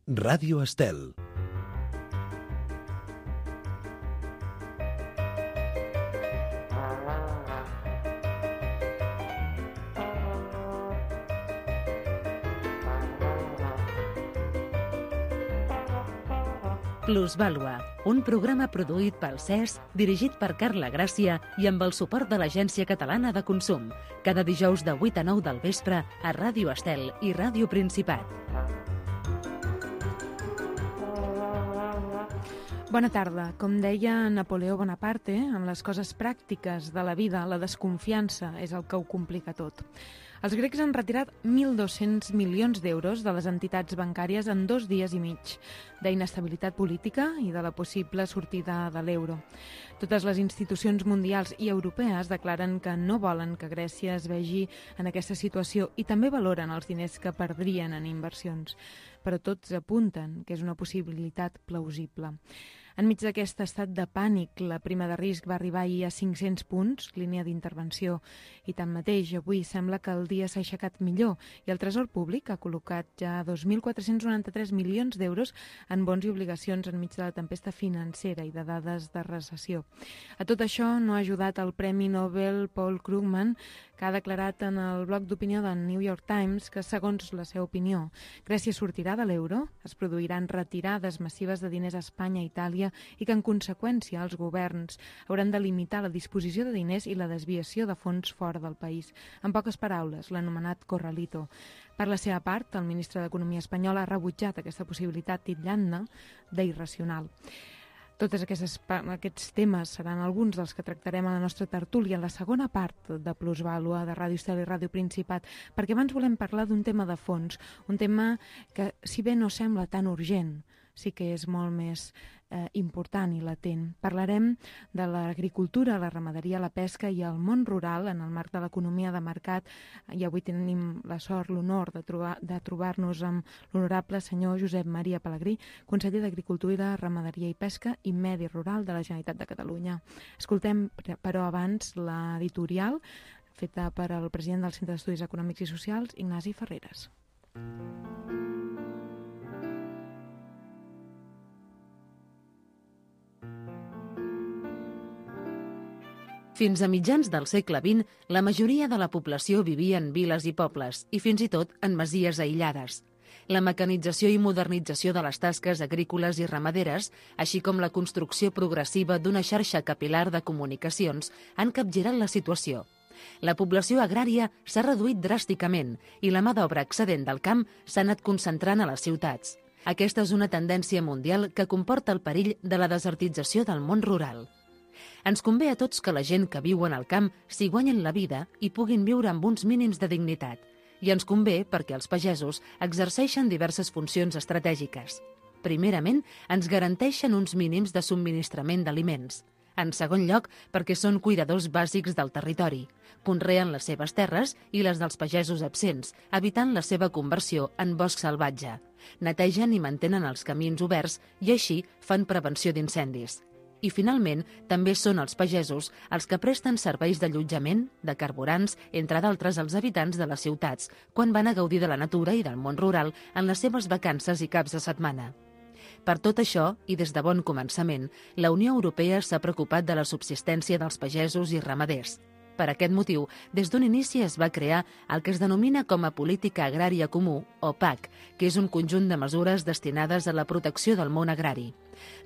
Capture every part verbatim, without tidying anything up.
Ràdio Estel. Plusvàlua, un programa produït pel C E S, dirigit per Carla Gràcia i amb el suport de l'Agència Catalana de Consum. Cada dijous de vuit a nou del vespre a Ràdio Estel i Ràdio Principat. Bona tarda. Com deia Napoleó Bonaparte, en les coses pràctiques de la vida, la desconfiança és el que ho complica tot. Els grecs han retirat mil dos-cents milions d'euros de les entitats bancàries en dos dies i mig, d'inestabilitat política i de la possible sortida de l'euro. Totes les institucions mundials i europees declaren que no volen que Grècia es vegi en aquesta situació i també valoren els diners que perdrien en inversions, però tots apunten que és una possibilitat plausible. Enmig d'aquest estat de pànic, la prima de risc va arribar ahir a cinc-cents punts, línia d'intervenció, i tanmateix avui sembla que el dia s'ha aixecat millor i el Tresor Públic ha col·locat ja dos mil quatre-cents noranta-tres milions d'euros en bons i obligacions enmig de la tempesta financera i de dades de recessió. A tot això no ha ajudat el Premi Nobel Paul Krugman, que ha declarat en el bloc d'opinió del New York Times que, segons la seva opinió, Grècia sortirà de l'euro, es produiran retirades massives de diners a Espanya i Itàlia i que, en conseqüència, els governs hauran de limitar la disposició de diners i la desviació de fons fora del país. En poques paraules, l'anomenat corralito. Per la seva part, el ministre d'Economia espanyol ha rebutjat aquesta possibilitat titllant-ne d'irracional. Tots aquests, aquests temes seran alguns dels que tractarem a la nostra tertúlia en la segona part de Plusvàlua de Ràdio Estel i Ràdio Principat, perquè abans volem parlar d'un tema de fons, un tema que, si bé no sembla tan urgent, sí que és molt més eh, important i latent. Parlarem de l'agricultura, la ramaderia, la pesca i el món rural en el marc de l'economia de mercat, i avui tenim la sort, l'honor de, trobar, de trobar-nos amb l'honorable senyor Josep Maria Pelegrí, conseller d'Agricultura, Ramaderia i Pesca i Medi Rural de la Generalitat de Catalunya. Escoltem, però, abans l'editorial feta per al president del Centre d'Estudis Econòmics i Socials, Ignasi Ferreres. Fins a mitjans del segle vint, la majoria de la població vivia en viles i pobles, i fins i tot en masies aïllades. La mecanització i modernització de les tasques agrícoles i ramaderes, així com la construcció progressiva d'una xarxa capilar de comunicacions, han capgirat la situació. La població agrària s'ha reduït dràsticament i la mà d'obra excedent del camp s'ha anat concentrant a les ciutats. Aquesta és una tendència mundial que comporta el perill de la desertització del món rural. Ens convé a tots que la gent que viu en el camp s'hi guanyen la vida i puguin viure amb uns mínims de dignitat. I ens convé perquè els pagesos exerceixen diverses funcions estratègiques. Primerament, ens garanteixen uns mínims de subministrament d'aliments. En segon lloc, perquè són cuidadors bàsics del territori. Conreen les seves terres i les dels pagesos absents, evitant la seva conversió en bosc salvatge. Netegen i mantenen els camins oberts i així fan prevenció d'incendis. I, finalment, també són els pagesos els que presten serveis d'allotjament, de carburants, entre d'altres als habitants de les ciutats, quan van a gaudir de la natura i del món rural en les seves vacances i caps de setmana. Per tot això, i des de bon començament, la Unió Europea s'ha preocupat de la subsistència dels pagesos i ramaders. Per aquest motiu, des d'un inici es va crear el que es denomina com a Política Agrària Comú, o P A C, que és un conjunt de mesures destinades a la protecció del món agrari.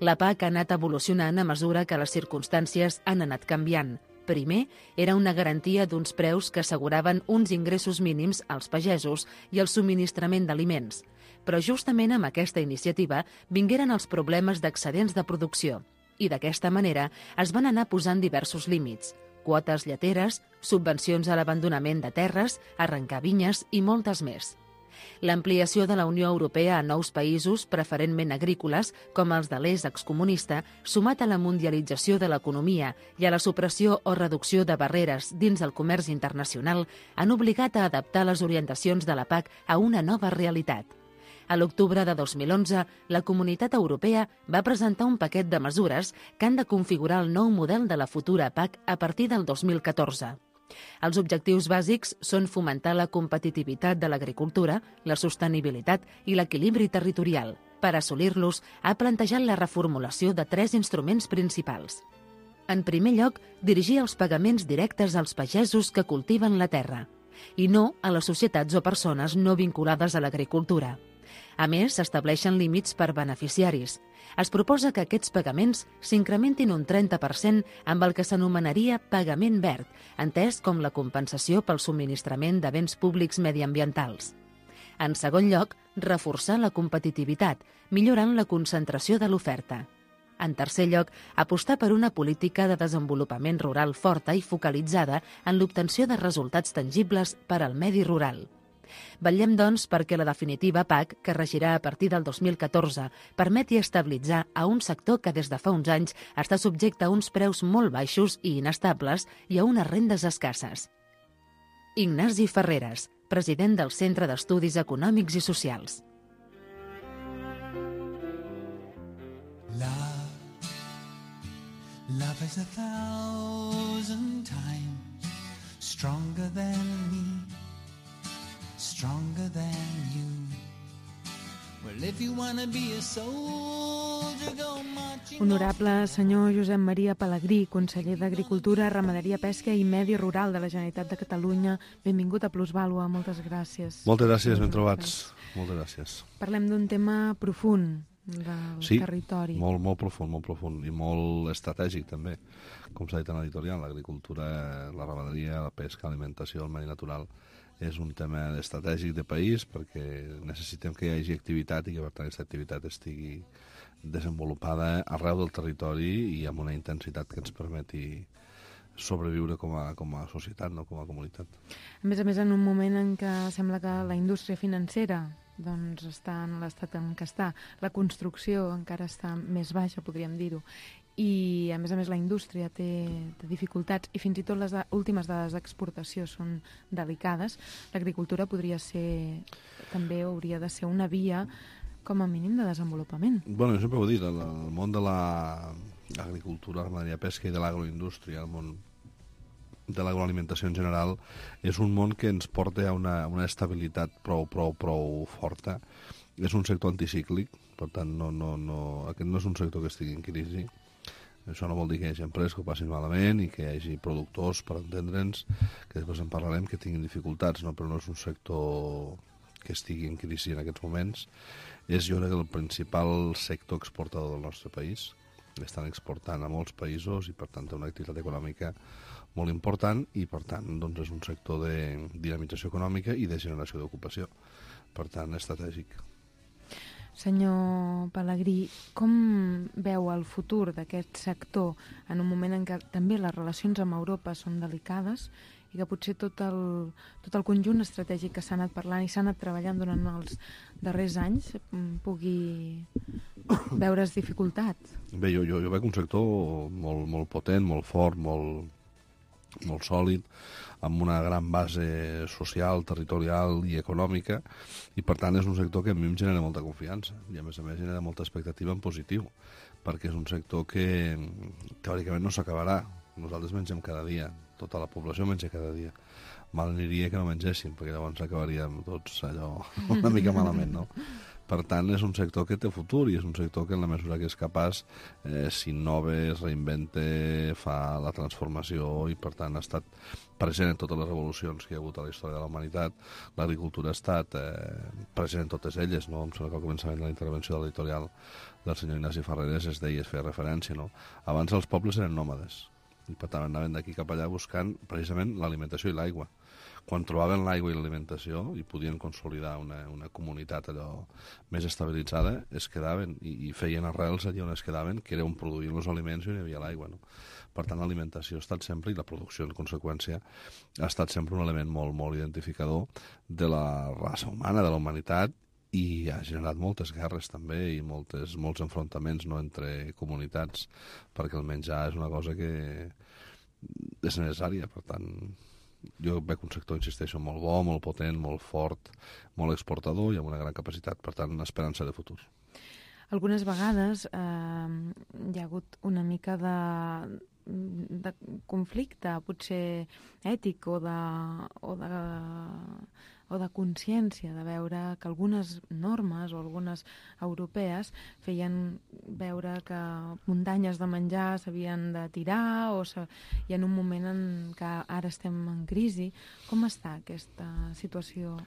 La P A C ha anat evolucionant a mesura que les circumstàncies han anat canviant. Primer, era una garantia d'uns preus que asseguraven uns ingressos mínims als pagesos i el subministrament d'aliments. Però justament amb aquesta iniciativa vingueren els problemes d'excedents de producció i d'aquesta manera es van anar posant diversos límits. Quotes lleteres, subvencions a l'abandonament de terres, arrencar vinyes i moltes més. L'ampliació de la Unió Europea a nous països, preferentment agrícoles, com els de l'est excomunista, sumat a la mundialització de l'economia i a la supressió o reducció de barreres dins el comerç internacional, han obligat a adaptar les orientacions de la P A C a una nova realitat. A l'octubre de dos mil onze, la Comunitat Europea va presentar un paquet de mesures que han de configurar el nou model de la futura P A C a partir del dos mil catorze. Els objectius bàsics són fomentar la competitivitat de l'agricultura, la sostenibilitat i l'equilibri territorial, Per assolir-los, ha plantejat la reformulació de tres instruments principals. En primer lloc, dirigir els pagaments directes als pagesos que cultiven la terra, i no a les societats o persones no vinculades a l'agricultura. A més, s'estableixen límits per beneficiaris. Es proposa que aquests pagaments s'incrementin un trenta per cent amb el que s'anomenaria pagament verd, entès com la compensació pel subministrament de béns públics mediambientals. En segon lloc, reforçar la competitivitat, millorant la concentració de l'oferta. En tercer lloc, apostar per una política de desenvolupament rural forta i focalitzada en l'obtenció de resultats tangibles per al medi rural. Vetllem, doncs, perquè la definitiva P A C, que regirà a partir del dos mil catorze, permeti estabilitzar a un sector que des de fa uns anys està subjecte a uns preus molt baixos i inestables i a unes rendes escasses. Ignasi Ferreres, president del Centre d'Estudis Econòmics i Socials. Love, love is a thousand times stronger than me, stronger than you. Well, if you wanna be a soldier, go marching. Honorable senyor Josep Maria Pelegrí, conseller d'Agricultura, Ramaderia, Pesca i Medi Rural de la Generalitat de Catalunya, benvingut a Plusvàlua, moltes gràcies. Moltes gràcies, ben trobats. Moltes gràcies. Parlem d'un tema profund, del sí, territori. Sí, molt, molt profund, molt profund i molt estratègic també, com s'ha dit en l'editorial, l'agricultura, la ramaderia, la pesca, l'alimentació, el medi natural, és un tema estratègic de país perquè necessitem que hi hagi activitat i que per tant aquesta activitat estigui desenvolupada arreu del territori i amb una intensitat que ens permeti sobreviure com a, com a societat, no com a comunitat. A més a més, en un moment en què sembla que la indústria financera doncs està en l'estat en què està, la construcció encara està més baixa, podríem dir-ho, i a més a més la indústria té, té dificultats i fins i tot les últimes dades d'exportació són delicades, l'agricultura podria ser, també hauria de ser una via com a mínim de desenvolupament. Bueno, jo sempre ho he dit, el, el món de l'agricultura, la ramaderia, pesca i de l'agroindústria, el món de l'agroalimentació en general, és un món que ens porta a una, una estabilitat prou, prou, prou forta. És un sector anticíclic, per tant, no, no, no, aquest no és un sector que estigui en crisi. Això no vol dir que hi hagi empreses que ho passin malament i que hi hagi productors, per entendre'ns, que després en parlarem, que tinguin dificultats, no? Però no és un sector que estigui en crisi en aquests moments. És, jo crec, el principal sector exportador del nostre país. Estan exportant a molts països i, per tant, té una activitat econòmica molt important i, per tant, doncs, és un sector de dinamització econòmica i de generació d'ocupació. Per tant, estratègic. Senyor Pelegrí, com veu el futur d'aquest sector en un moment en què també les relacions amb Europa són delicades i que potser tot el, tot el conjunt estratègic que s'ha anat parlant i s'ha anat treballant durant els darrers anys pugui veure's dificultat? Bé, jo, jo, jo veig un sector molt, molt potent, molt fort, molt, molt sòlid, amb una gran base social, territorial i econòmica, i per tant és un sector que a mi em genera molta confiança i a més a més genera molta expectativa en positiu, perquè és un sector que teòricament no s'acabarà. Nosaltres mengem cada dia, tota la població menja cada dia. Mal aniria que no mengessin, perquè llavors acabaríem tots allò una mica malament, no? Per tant, és un sector que té futur i és un sector que en la mesura que és capaç eh, s'innova, es reinventa, fa la transformació i per tant ha estat present en totes les revolucions que hi ha hagut a la història de la humanitat. L'agricultura ha estat eh, present en totes elles, no? Em sembla que al començament de la intervenció de l'editorial del senyor Ignasi Ferreres es deia, es feia referència, no? Abans els pobles eren nòmades i per tant anaven d'aquí cap allà buscant precisament l'alimentació i l'aigua. Quan trobaven l'aigua i l'alimentació i podien consolidar una, una comunitat allò més estabilitzada, es quedaven i, i feien arrels allà on es quedaven, que era on produïen els aliments i on hi havia l'aigua, no? Per tant, l'alimentació ha estat sempre, i la producció en conseqüència, ha estat sempre un element molt, molt identificador de la raça humana, de la humanitat, i ha generat moltes guerres també i moltes, molts enfrontaments, no, entre comunitats, perquè el menjar és una cosa que és necessària, per tant jo veig un sector, insisteixo, molt bo, molt potent, molt fort, molt exportador i amb una gran capacitat, per tant, esperança de futur. Algunes vegades eh, hi ha hagut una mica de, de conflicte, potser ètic o de, o de o de consciència, de veure que algunes normes o algunes europees feien veure que muntanyes de menjar s'havien de tirar o se... i en un moment en què ara estem en crisi. Com està aquesta situació?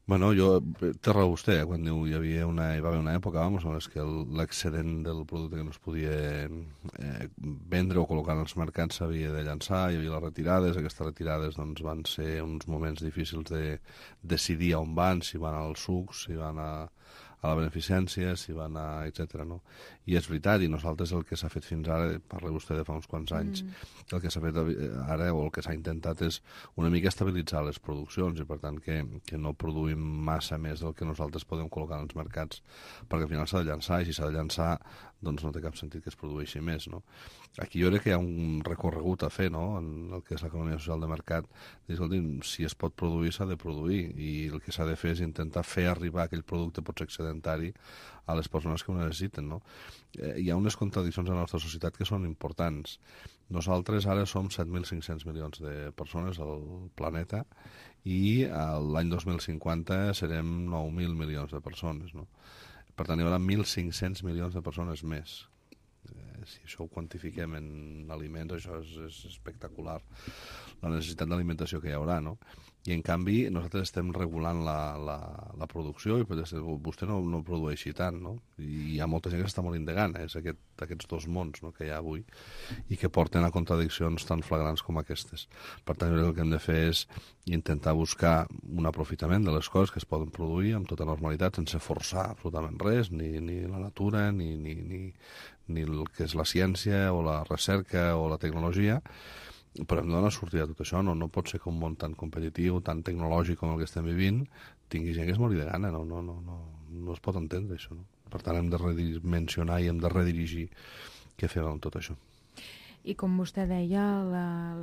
Bueno, jo, té raó vostè, eh? Quan diu hi havia una, hi va haver una època, vamos, en què l'excedent del producte que no es podia eh, vendre o col·locar en els mercats s'havia de llançar, hi havia les retirades, aquestes retirades doncs, van ser uns moments difícils de decidir on van, si van als sucs, si van a, a la beneficència, si van a... etcètera. No? I és veritat, i nosaltres el que s'ha fet fins ara, parla vostè de fa uns quants anys, mm. el que s'ha fet ara o el que s'ha intentat és una mica estabilitzar les produccions i per tant que, que no produïm massa més del que nosaltres podem col·locar en els mercats, perquè al final s'ha de llançar i si s'ha de llançar doncs no té cap sentit que es produeixi més. No? Aquí jo crec que hi ha un recorregut a fer, no? En el que és l'economia social de mercat. Escolti, si es pot produir, s'ha de produir i el que s'ha de fer és intentar fer arribar aquell producte potser excedentari a les persones que ho necessiten. No? Eh, hi ha unes contradiccions a la nostra societat que són importants. Nosaltres ara som set mil cinc-cents milions de persones al planeta i l'any dos mil cinquanta serem nou mil milions de persones. No? Per tant, hi haurà mil cinc-cents milions de persones més. Eh, si això ho quantifiquem en aliments, això és, és espectacular, la necessitat d'alimentació que hi haurà, no? I, en canvi, nosaltres estem regulant la, la, la producció i vostè no, no produeixi tant, no? I hi ha molta gent que s'està morint de gana, és aquest, aquests dos mons, no?, que hi ha avui i que porten a contradiccions tan flagrants com aquestes. Per tant, el que hem de fer és intentar buscar un aprofitament de les coses que es poden produir amb tota normalitat, sense forçar absolutament res, ni, ni la natura, ni, ni, ni, ni el que és la ciència o la recerca o la tecnologia, però hem de donar sortida a tot això. No, no pot ser que un món tan competitiu, tan tecnològic com el que estem vivint, tingui gent que es mori de gana. No, no, no, no, no es pot entendre això. No? Per tant, hem de redimensionar i hem de redirigir què fem amb tot això. I com vostè deia,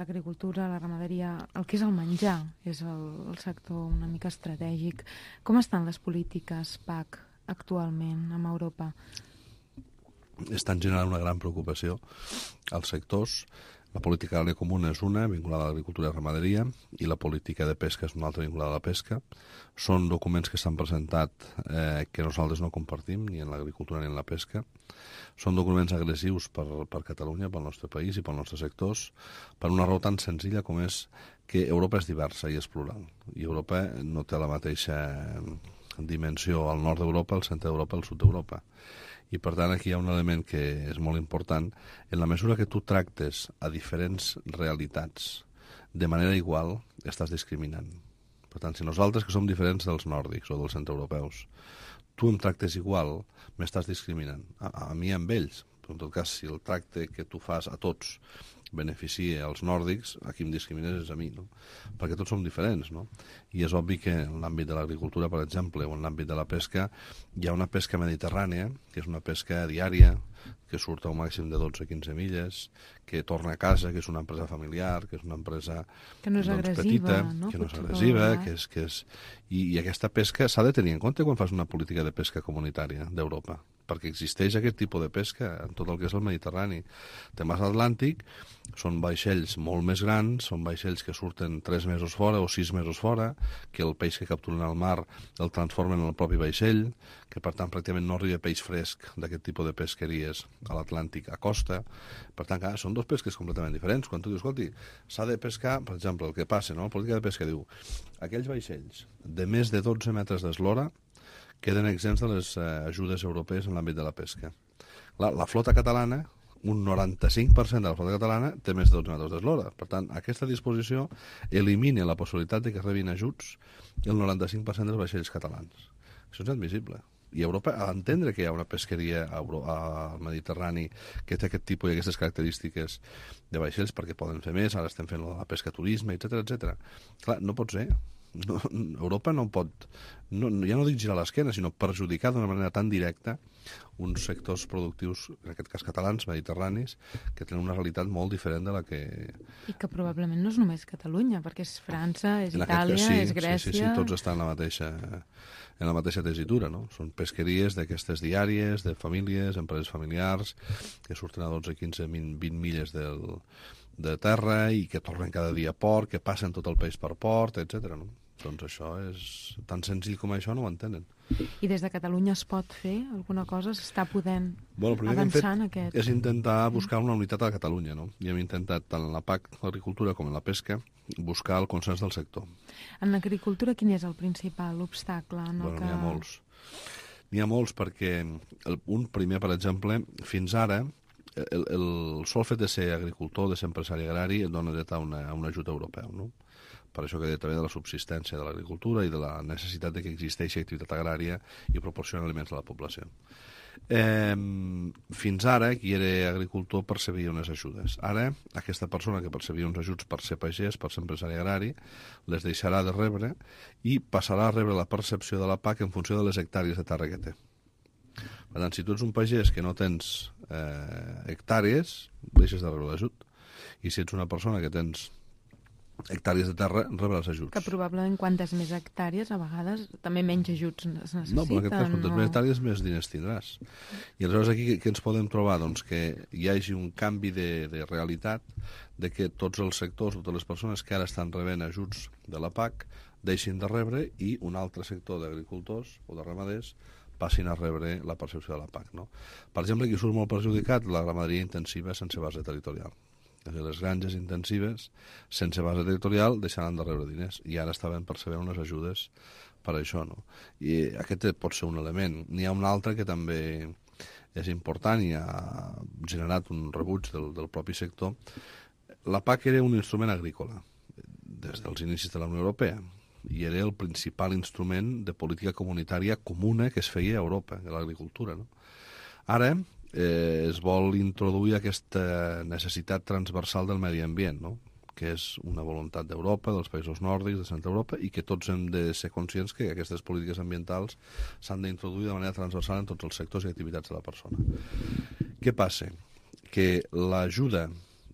l'agricultura, la, la ramaderia, el que és el menjar, és el, el sector una mica estratègic. Com estan les polítiques P A C actualment a Europa? Estan generant una gran preocupació als sectors. La política agrària comuna és una, vinculada a l'agricultura i ramaderia, i la política de pesca és una altra vinculada a la pesca. Són documents que s'han presentat eh, que nosaltres no compartim, ni en l'agricultura ni en la pesca. Són documents agressius per, per Catalunya, pel nostre país i pels nostres sectors, per una raó tan senzilla com és que Europa és diversa i és plural. I Europa no té la mateixa dimensió al nord d'Europa, al centre d'Europa i al sud d'Europa. I, per tant, aquí hi ha un element que és molt important. En la mesura que tu tractes a diferents realitats de manera igual, estàs discriminant. Per tant, si nosaltres, que som diferents dels nòrdics o dels centreeuropeus, tu em tractes igual, m'estàs discriminant. A, a mi amb ells. Però, en tot cas, si el tracte que tu fas a tots beneficia als nòrdics, a qui em discrimines és a mi, no? Perquè tots som diferents, no? I és obvi que en l'àmbit de l'agricultura, per exemple, o en l'àmbit de la pesca, hi ha una pesca mediterrània, que és una pesca diària, que surt a un màxim de dotze a quinze milles, que torna a casa, que és una empresa familiar, que és una empresa que no és doncs, agressiva, petita, no? que no és agressiva, que és, que és... I, i aquesta pesca s'ha de tenir en compte quan fas una política de pesca comunitària d'Europa, perquè existeix aquest tipus de pesca en tot el que és el Mediterrani. Temes Atlàntic són vaixells molt més grans, són vaixells que surten tres mesos fora o sis mesos fora, que el peix que capturen al mar el transformen en el propi vaixell, que per tant pràcticament no arriba peix fresc d'aquest tipus de pesqueries a l'Atlàntic a costa. Per tant, clar, són dos pesques completament diferents. Quan tu dius, escolti, s'ha de pescar, per exemple, el que passa, no? La política de pesca diu, aquells vaixells de més de dotze metres d'eslora queden exempts de les eh, ajudes europees en l'àmbit de la pesca. La, la flota catalana, un noranta-cinc per cent de la flota catalana té més de dotze metres d'eslora. Per tant, aquesta disposició elimina la possibilitat de que rebin ajuts el noranta-cinc per cent dels vaixells catalans. Això és admissible. I Europa ha d'entendre que hi ha una pesqueria al Mediterrani que té aquest tipus i aquestes característiques de vaixells perquè poden fer més, ara estem fent la pesca turisme, etcètera, etcètera. Clar, no pot ser. No, Europa no pot, no, ja no dic girar l'esquena, sinó perjudicar d'una manera tan directa uns sectors productius, en aquest cas catalans, mediterranis, que tenen una realitat molt diferent de la que... I que probablement no és només Catalunya, perquè és França, és en Itàlia, cas, sí, és Grècia... Sí, sí, sí, tots estan en la mateixa, en la mateixa tesitura, no? Són pesqueries d'aquestes diàries, de famílies, empreses familiars, que surten a dotze, quinze, vint milles del... de terra i que tornen cada dia a port, que passen tot el peix per port, etcètera. No? Doncs això és tan senzill com això, no ho entenen. I des de Catalunya es pot fer alguna cosa? S'està podent bueno, el primer avançar que hem en fet aquest... és intentar buscar una unitat a Catalunya, no? I hem intentat, tant en la P A C, l'agricultura, com en la pesca, buscar el consens del sector. En l'agricultura quin és el principal obstacle? En el Bueno, que... n'hi ha molts. N'hi ha molts perquè el, un primer, per exemple, fins ara, el, el sol fet de ser agricultor, de ser empresari agrari, et dona dret a, una, a un ajut europeu, no? Per això que deia també de la subsistència de l'agricultura i de la necessitat de que existeixi activitat agrària i proporciona aliments a la població. Eh, fins ara, qui era agricultor percebia unes ajudes. Ara, aquesta persona que percebia uns ajuts per ser pagès, per ser empresari agrari, les deixarà de rebre i passarà a rebre la percepció de la P A C en funció de les hectàrees de terra que té. Per tant, si tu ets un pagès que no tens eh, hectàrees, deixes de rebre l'ajut. I si ets una persona que tens hectàrees de terra, rebre els ajuts. Que probablement quantes més hectàrees, a vegades, també menys ajuts es necessiten. No, però en aquest cas, quantes no... més hectàrees, més diners tindràs. I aleshores aquí què ens podem trobar? Doncs que hi hagi un canvi de, de realitat, de que tots els sectors, totes les persones que ara estan rebent ajuts de la P A C, deixin de rebre i un altre sector d'agricultors o de ramaders passin a rebre la percepció de la P A C. No? Per exemple, aquí surt molt perjudicat la ramaderia intensiva sense base territorial. És a dir, les granges intensives sense base territorial deixaran de rebre diners i ara estaven percebent unes ajudes per això, no? I aquest pot ser un element. N'hi ha un altre que també és important i ha generat un rebuig del, del propi sector. La P A C era un instrument agrícola des dels inicis de la Unió Europea i era el principal instrument de política comunitària comuna que es feia a Europa, de l'agricultura, no? Ara eh, es vol introduir aquesta necessitat transversal del medi ambient, no? Que és una voluntat d'Europa, dels països nòrdics, de Centre Europa, i que tots hem de ser conscients que aquestes polítiques ambientals s'han d'introduir de manera transversal en tots els sectors i activitats de la persona. Què passa? Que l'ajuda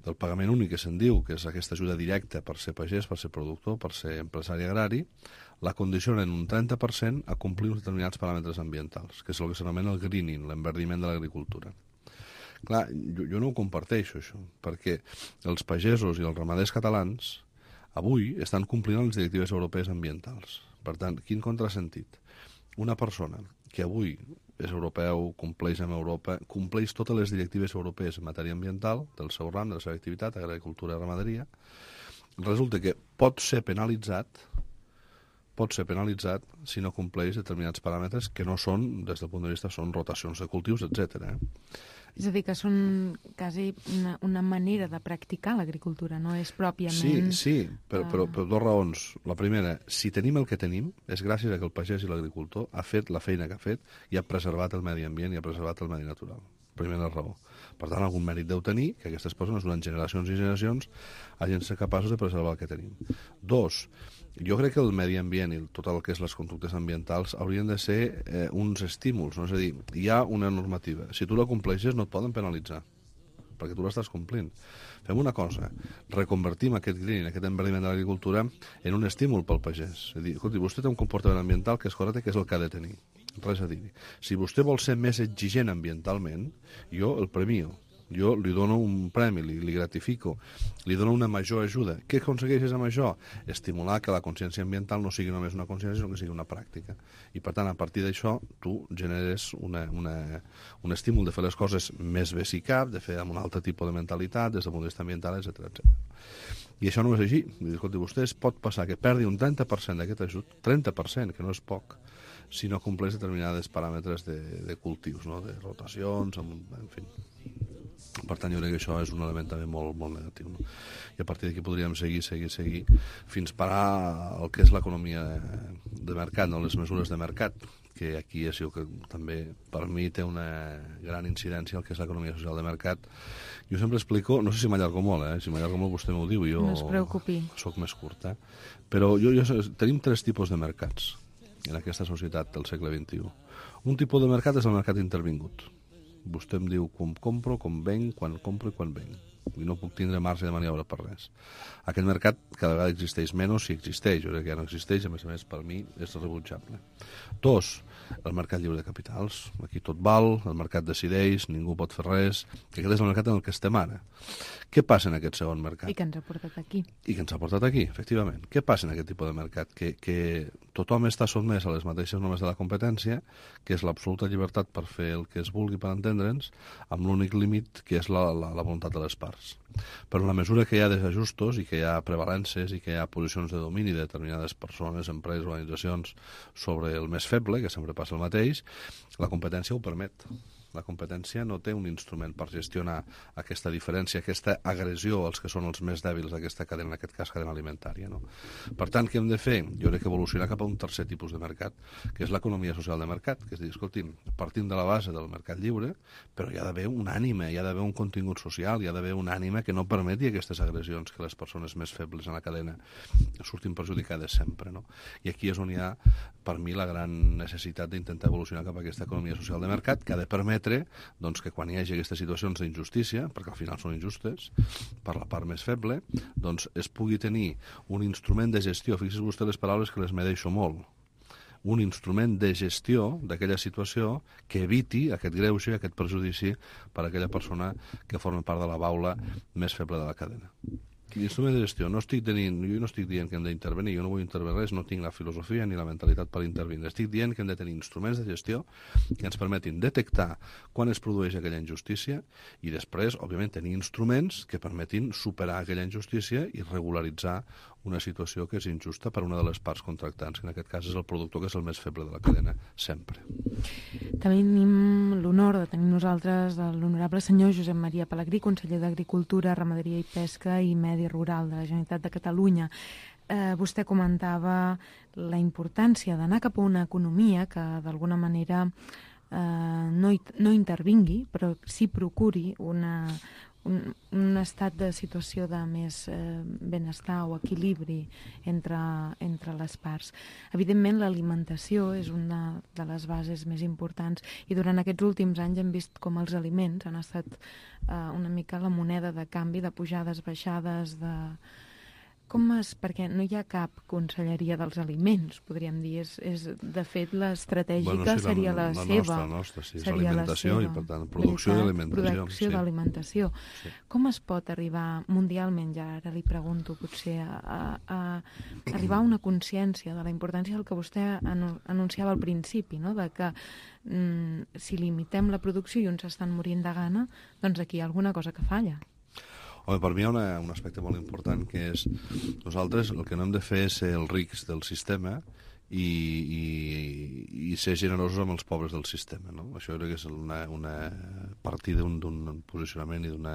del pagament únic, que se'n diu, que és aquesta ajuda directa per ser pagès, per ser productor, per ser empresari agrari, la condicionen un trenta per cent a complir uns determinats paràmetres ambientals, que és el que s'anomena el greening, l'enverdiment de l'agricultura. Clar, jo, jo no ho comparteixo, això, perquè els pagesos i els ramaders catalans avui estan complint les directives europees ambientals. Per tant, quin contrasentit? Una persona que avui és europeu, compleix amb Europa, compleix totes les directives europees en matèria ambiental, del seu ram, de la seva activitat, agricultura i ramaderia, resulta que pot ser penalitzat pot ser penalitzat si no compleix determinats paràmetres que no són, des del punt de vista, són rotacions de cultius, etcètera. És a dir, que són quasi una, una manera de practicar l'agricultura, no és pròpiament... Sí, sí, però, però, però dues raons. La primera, si tenim el que tenim, és gràcies a que el pagès i l'agricultor ha fet la feina que ha fet i ha preservat el medi ambient i ha preservat el medi natural. Primera raó. Per tant, algun mèrit deu tenir que aquestes persones, durant generacions i generacions, hagin de ser capaços de preservar el que tenim. Dos, jo crec que el medi ambient i tot el que és les conductes ambientals haurien de ser eh, uns estímuls, no? És a dir, hi ha una normativa. Si tu la compleixes no et poden penalitzar, perquè tu l'estàs complint. Fem una cosa, reconvertim aquest green, aquest enverdiment de l'agricultura en un estímul pel pagès. És a dir, escolti, vostè té un comportament ambiental que és correcte, que és el que ha de tenir. Res a dir. Si vostè vol ser més exigent ambientalment, jo el premio. Jo li dono un premi, li, li gratifico, li dono una major ajuda. Què aconsegueixes amb això? Estimular que la consciència ambiental no sigui només una consciència, sinó que sigui una pràctica. I, per tant, a partir d'això, tu generes una, una, un estímul de fer les coses més bé si cap, de fer amb un altre tipus de mentalitat, des del punt de vista ambiental, etcètera, etcètera. I això no és així. Escolti, vostè es pot passar que perdi un trenta per cent d'aquest ajut, trenta per cent, que no és poc, si no compleix determinades paràmetres de, de cultius, no? De rotacions, en, en fi. Per tant, jo crec que això és un element també molt, molt negatiu. No? I a partir d'aquí podríem seguir, seguir, seguir, fins parar el que és l'economia de mercat, no? Les mesures de mercat, que aquí és el que també per mi té una gran incidència el que és l'economia social de mercat. Jo sempre explico, no sé si m'allargo molt, eh? Si m'allargo molt vostè m'ho diu, jo no es preocupi. Soc més curt, eh? Però jo, jo, tenim tres tipus de mercats en aquesta societat del segle vint-i-u. Un tipus de mercat és el mercat intervingut. Vostè em diu com compro, com venc, quan compro i quan venc. I no puc tindre marge de maniobra per res. Aquest mercat cada vegada existeix menys si existeix. Jo crec que ja no existeix, a més a més, per mi és rebutjable. Dos, el mercat lliure de capitals. Aquí tot val, el mercat decideix, ningú pot fer res, que aquest és el mercat en el que estem ara. Què passa en aquest segon mercat? I que ens ha portat aquí. I que ens ha portat aquí, efectivament. Què passa en aquest tipus de mercat? Que, que tothom està sotmès a les mateixes normes de la competència, que és l'absoluta llibertat per fer el que es vulgui per entendre'ns, amb l'únic límit que és la, la, la voluntat de les parts. Però en la mesura que hi ha desajustos i que hi ha prevalences i que hi ha posicions de domini de determinades persones, empreses, organitzacions sobre el més feble, que sempre passa el mateix, la competència ho permet. La competència no té un instrument per gestionar aquesta diferència, aquesta agressió als que són els més dèbils d'aquesta cadena, en aquest cas cadena alimentària. No? Per tant, què hem de fer? Jo crec que evolucionar cap a un tercer tipus de mercat, que és l'economia social de mercat, que és dir, escolti'm, partim de la base del mercat lliure, però hi ha d'haver un ànima, hi ha d'haver un contingut social, hi ha d'haver un ànima que no permeti aquestes agressions que les persones més febles en la cadena surtin perjudicades sempre. No? I aquí és on hi ha, per mi, la gran necessitat d'intentar evolucionar cap a aquesta economia social de mercat, que ha de permetre doncs, que quan hi hagi aquestes situacions d'injustícia, perquè al final són injustes, per la part més feble, doncs es pugui tenir un instrument de gestió, fixis vostè les paraules que les medeixo molt, un instrument de gestió d'aquella situació que eviti aquest greuge, aquest perjudici per a aquella persona que forma part de la baula més feble de la cadena. L'instrument de gestió, no estic tenint, jo no estic dient que hem d'intervenir, jo no vull intervenir res, no tinc la filosofia ni la mentalitat per intervenir. Estic dient que hem de tenir instruments de gestió que ens permetin detectar quan es produeix aquella injustícia i després, òbviament, tenir instruments que permetin superar aquella injustícia i regularitzar una situació que és injusta per una de les parts contractants, que en aquest cas és el productor, que és el més feble de la cadena, sempre. Tenim l'honor de tenir nosaltres l'honorable senyor Josep Maria Pelegrí, conseller d'Agricultura, Ramaderia i Pesca i Medi Rural de la Generalitat de Catalunya. Eh, vostè comentava la importància d'anar cap a una economia que d'alguna manera eh, no, no intervingui, però sí procuri una, un, un estat de situació de més eh, benestar o equilibri entre, entre les parts. Evidentment, l'alimentació és una de les bases més importants i durant aquests últims anys hem vist com els aliments han estat eh, una mica la moneda de canvi, de pujades, baixades, de... Com es... Perquè no hi ha cap conselleria dels aliments, podríem dir. És, és de fet, l'estratègica bueno, sí, seria la, la, la seva. La nostra, sí, és alimentació i, per tant, producció i alimentació. Producció sí. d'alimentació. Sí. Com es pot arribar mundialment, ja ara li pregunto, potser, a, a, a arribar a una consciència de la importància del que vostè anunciava al principi, no? De que mm, si limitem la producció i uns estan morint de gana, doncs aquí hi ha alguna cosa que falla. Home, per mi hi ha una, un aspecte molt important, que és nosaltres el que no hem de fer és ser els rics del sistema i, i, i ser generosos amb els pobres del sistema. No? Això crec que és una, una partida d'un posicionament i d'un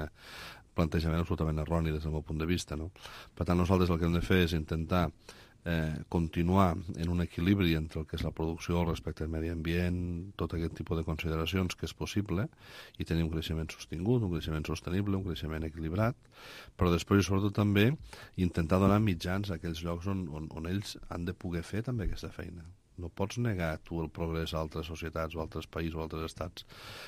plantejament absolutament erroni des del meu punt de vista. No? Per tant, nosaltres el que hem de fer és intentar Eh, continuar en un equilibri entre el que és la producció, el respecte al medi ambient, tot aquest tipus de consideracions que és possible, i tenir un creixement sostingut, un creixement sostenible, un creixement equilibrat, però després i sobretot també intentar donar mitjans a aquells llocs on, on, on ells han de poder fer també aquesta feina. No pots negar tu el progrés a altres societats o altres països o altres estats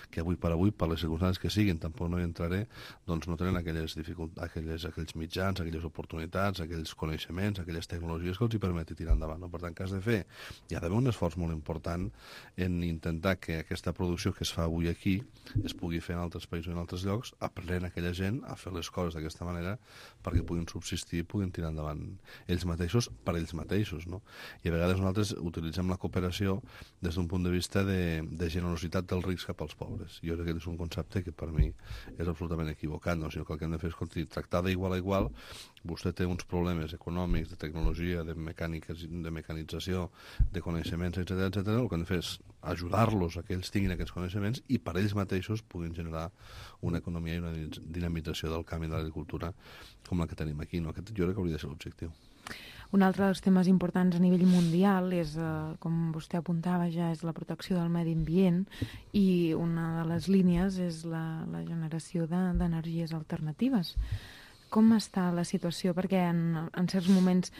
que avui per avui, per les circumstàncies que siguin, tampoc no hi entraré, doncs no tenen aquelles, aquelles, aquells mitjans, aquelles oportunitats, aquells coneixements, aquelles tecnologies que els hi permeti tirar endavant. No? Per tant, que has de fer, hi ha d'haver un esforç molt important en intentar que aquesta producció que es fa avui aquí es pugui fer en altres països o en altres llocs, aprenent aquella gent a fer les coses d'aquesta manera perquè puguin subsistir i puguin tirar endavant ells mateixos per ells mateixos. No? I a vegades nosaltres utilitzem la cooperació des d'un punt de vista de, de generositat dels rics cap als pobres. Jo crec que és un concepte que per mi és absolutament equivocat, no? Sinó que el que hem de fer és escolti, tractar d'igual a igual. Vostè té uns problemes econòmics, de tecnologia, de mecàniques, de mecanització, de coneixements, etcètera, etcètera. El que hem de fer és ajudar-los a que ells tinguin aquests coneixements i per ells mateixos puguin generar una economia i una dinamització del canvi de l'agricultura com la que tenim aquí. No? Aquest jo crec que hauria de ser l'objectiu. Un altre dels temes importants a nivell mundial és, eh, com vostè apuntava ja, és la protecció del medi ambient i una de les línies és la, la generació d'energies de, alternatives. Com està la situació? Perquè en, en certs moments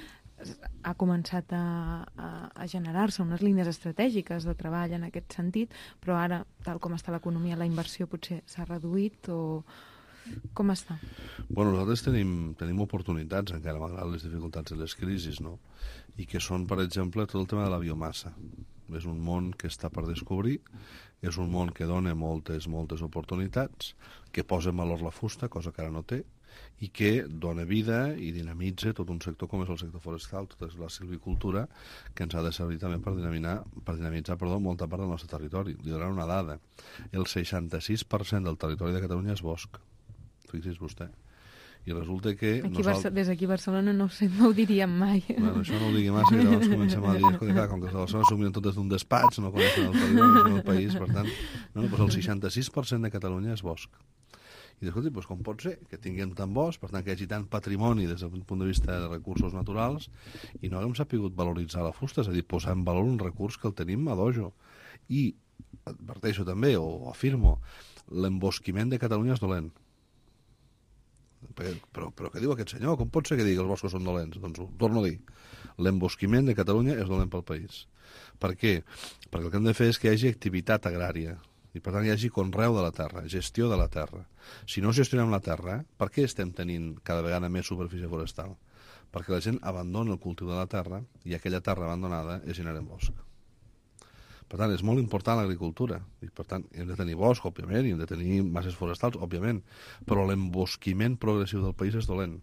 ha començat a, a, a generar-se unes línies estratègiques de treball en aquest sentit, però ara, tal com està l'economia, la inversió potser s'ha reduït o... Com està? Bueno, nosaltres tenim, tenim oportunitats encara, malgrat les dificultats de les crisis, no? I que són, per exemple, tot el tema de la biomassa. és un món que està per descobrir, és un món que dona moltes, moltes oportunitats, que posa en valor la fusta, cosa que ara no té, i que dona vida i dinamitza tot un sector com és el sector forestal, tota la silvicultura, que ens ha de servir també per dinamitzar, per dinamitzar perdó, molta part del nostre territori. Li donaré una dada. El seixanta-sis per cent del territori de Catalunya és bosc. Fixi's vostè. I resulta que... Aquí nosaltres... Des d'aquí a Barcelona no ho sé, no ho diríem mai. Bueno, això no ho digui massa, que llavors comencem a dir, escolta, clar, com que a Barcelona s'ho miren tot des d'un despatx, no coneixen el territori, no coneixen el país, per tant, no, doncs el seixanta-sis per cent de Catalunya és bosc. I escolta, doncs com pot ser que tinguem tant bosc, per tant que hi hagi tant patrimoni des del punt de vista de recursos naturals, i no haguem sapigut valoritzar la fusta, és a dir, posar en valor un recurs que el tenim a dojo. I adverteixo també, o afirmo, l'embosquiment de Catalunya és dolent. Però, però què diu aquest senyor? Com pot ser que digui que els boscos són dolents? Doncs ho torno a dir. L'embosquiment de Catalunya és dolent pel país. Per què? Perquè el que hem de fer és que hi hagi activitat agrària i per tant hi hagi conreu de la terra, gestió de la terra. Si no gestionem la terra, per què estem tenint cada vegada més superfície forestal? Perquè la gent abandona el cultiu de la terra i aquella terra abandonada es genera en bosc. Per tant, és molt important l'agricultura. I, per tant, hem de tenir bosc, òbviament, i hem de tenir masses forestals, òbviament, però l'embosquiment progressiu del país és dolent,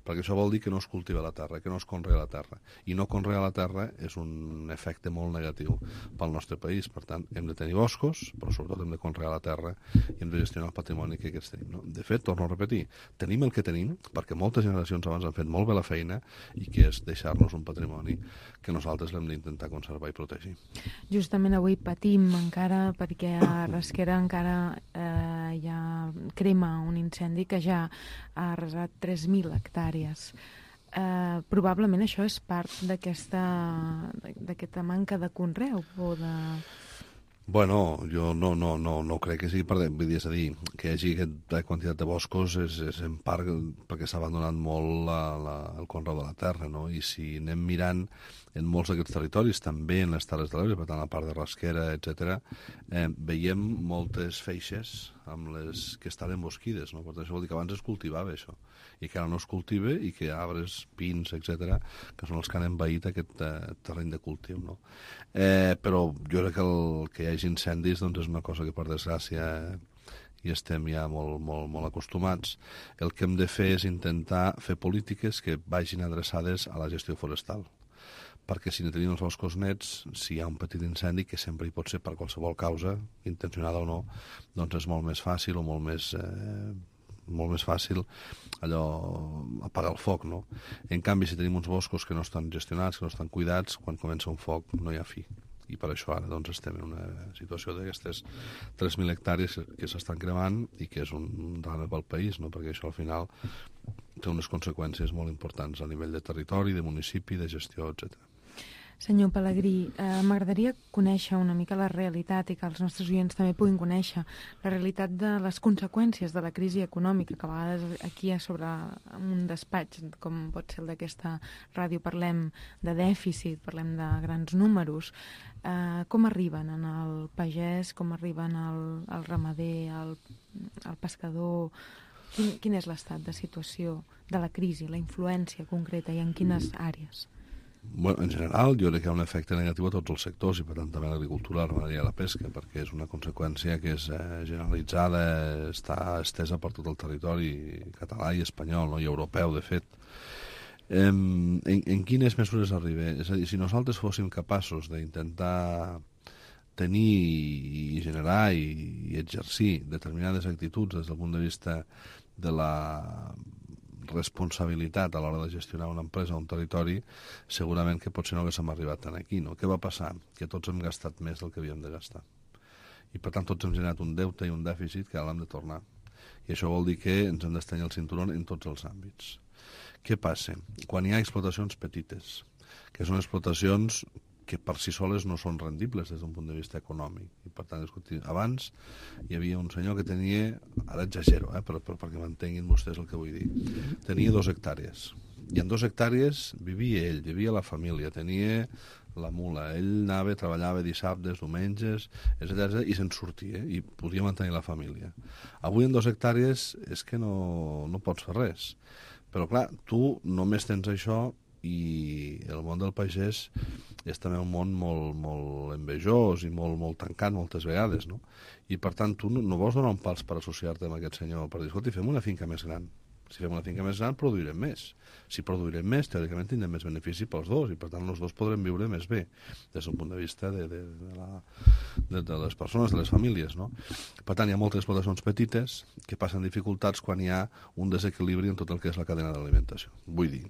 perquè això vol dir que no es cultiva la terra, que no es conrea la terra. I no conrear la terra és un efecte molt negatiu pel nostre país. Per tant, hem de tenir boscos, però sobretot hem de conrear la terra i hem de gestionar el patrimoni que aquests tenim. No? De fet, torno a repetir, tenim el que tenim, perquè moltes generacions abans han fet molt bé la feina, i que és deixar-nos un patrimoni que nosaltres l'hem d'intentar conservar i protegir. Justament avui patim encara perquè a Rasquera encara eh, hi ha crema un incendi que ja ha arrasat tres mil hectàrees. Eh, probablement això és part d'aquesta d'aquesta manca de conreu o de... Bueno, jo no, no, no, no crec que sigui per... Vull dir, és a dir, que hi hagi aquesta quantitat de boscos és, és en part perquè s'ha abandonat molt la, la, el conreu de la terra, no? I si anem mirant en molts d'aquests territoris, també en les Terres de l'Ebre, per tant, a part de Rasquera, etcètera, eh, veiem moltes feixes amb les que estan embosquides, no? Per tant, això vol dir que abans es cultivava això, i que ara no es cultiva i que arbres, pins, etcètera, que són els que han envaït aquest eh, terreny de cultiu, no? Eh, però jo crec que el que hi hagi incendis doncs és una cosa que, per desgràcia, hi estem ja molt, molt, molt acostumats. El que hem de fer és intentar fer polítiques que vagin adreçades a la gestió forestal, perquè si no tenim els boscos nets, si hi ha un petit incendi, que sempre hi pot ser per qualsevol causa, intencionada o no, doncs és molt més fàcil o molt més... Eh, molt més fàcil allò apagar el foc, no? En canvi, si tenim uns boscos que no estan gestionats, que no estan cuidats, quan comença un foc no hi ha fi. I per això ara doncs, estem en una situació d'aquestes tres mil hectàrees que s'estan cremant i que és un drama pel país, no? Perquè això al final té unes conseqüències molt importants a nivell de territori, de municipi, de gestió, etcètera. Senyor Pelegrí, eh, m'agradaria conèixer una mica la realitat i que els nostres oients també puguin conèixer la realitat de les conseqüències de la crisi econòmica, que a vegades aquí a sobre un despatx, com pot ser el d'aquesta ràdio, parlem de dèficit, parlem de grans números. Eh, com arriben en el pagès, com arriben al, al ramader, al, al pescador? Quin, quin és l'estat de situació de la crisi, la influència concreta i en quines àrees? Bueno, en general, jo crec que hi ha un efecte negatiu a tots els sectors i per tant també a l'agricultura, la ramaderia i la pesca, perquè és una conseqüència que és eh, generalitzada, està estesa per tot el territori català i espanyol, no? I europeu, de fet. Eh, en, en quines mesures arriba? És a dir, si nosaltres fóssim capaços d'intentar tenir i generar i, i exercir determinades actituds des del punt de vista de la responsabilitat a l'hora de gestionar una empresa o un territori, segurament que potser no haguéssim arribat tant aquí, no? Què va passar? Que tots hem gastat més del que havíem de gastar. I per tant tots hem generat un deute i un dèficit que ara l'hem de tornar. I això vol dir que ens hem d'estanyar el cinturó en tots els àmbits. Què passa? Quan hi ha explotacions petites, que són explotacions que per si soles no són rendibles des d'un punt de vista econòmic. I per tant, escolti, abans hi havia un senyor que tenia, ara exagero, eh, però, però perquè m'entenguin vostès el que vull dir, tenia dos hectàrees. I en dos hectàrees vivia ell, vivia la família, tenia la mula, ell anava, treballava dissabtes, diumenges, etcètera, i se'n sortia, i podia mantenir la família. Avui en dos hectàrees és que no, no pots fer res. Però clar, tu només tens això i el món del pagès és també un món molt, molt envejós i molt, molt tancat moltes vegades, no? I per tant tu no, no vols donar un pals per associar-te amb aquest senyor, per dir, escolta, fem una finca més gran. Si fem una finca més gran, produirem més. Si produirem més, teòricament tindrem més benefici pels dos, i per tant els dos podrem viure més bé, des d'un punt de vista de, de, de, la, de, de les persones, de les famílies, no? Per tant, hi ha moltes explotacions petites que passen dificultats quan hi ha un desequilibri en tot el que és la cadena d'alimentació. Vull dir,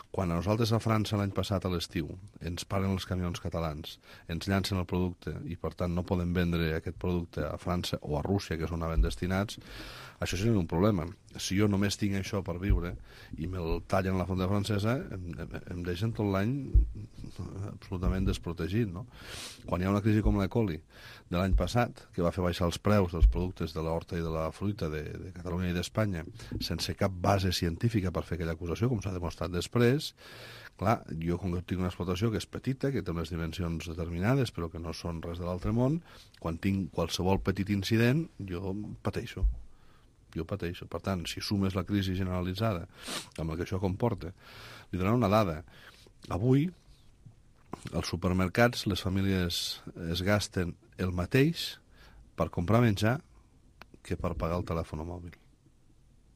quan a nosaltres a França l'any passat a l'estiu ens paren els camions catalans, ens llancen el producte i per tant no podem vendre aquest producte a França o a Rússia, que és on anaven destinats, això seria un problema. Si jo només tinc això per viure i me'l tallen la fonda francesa, em, em, em deixen tot l'any absolutament desprotegit, no? Quan hi ha una crisi com l'E. coli de l'any passat, que va fer baixar els preus dels productes de l'horta i de la fruita de, de Catalunya i d'Espanya, sense cap base científica per fer aquella acusació, com s'ha demostrat després, clar, jo com que tinc una explotació que és petita, que té unes dimensions determinades, però que no són res de l'altre món, quan tinc qualsevol petit incident, jo pateixo. Jo pateixo. Per tant, si sumes la crisi generalitzada amb el que això comporta, li donaran una dada. Avui, als supermercats, les famílies es gasten el mateix per comprar menjar que per pagar el telèfon mòbil.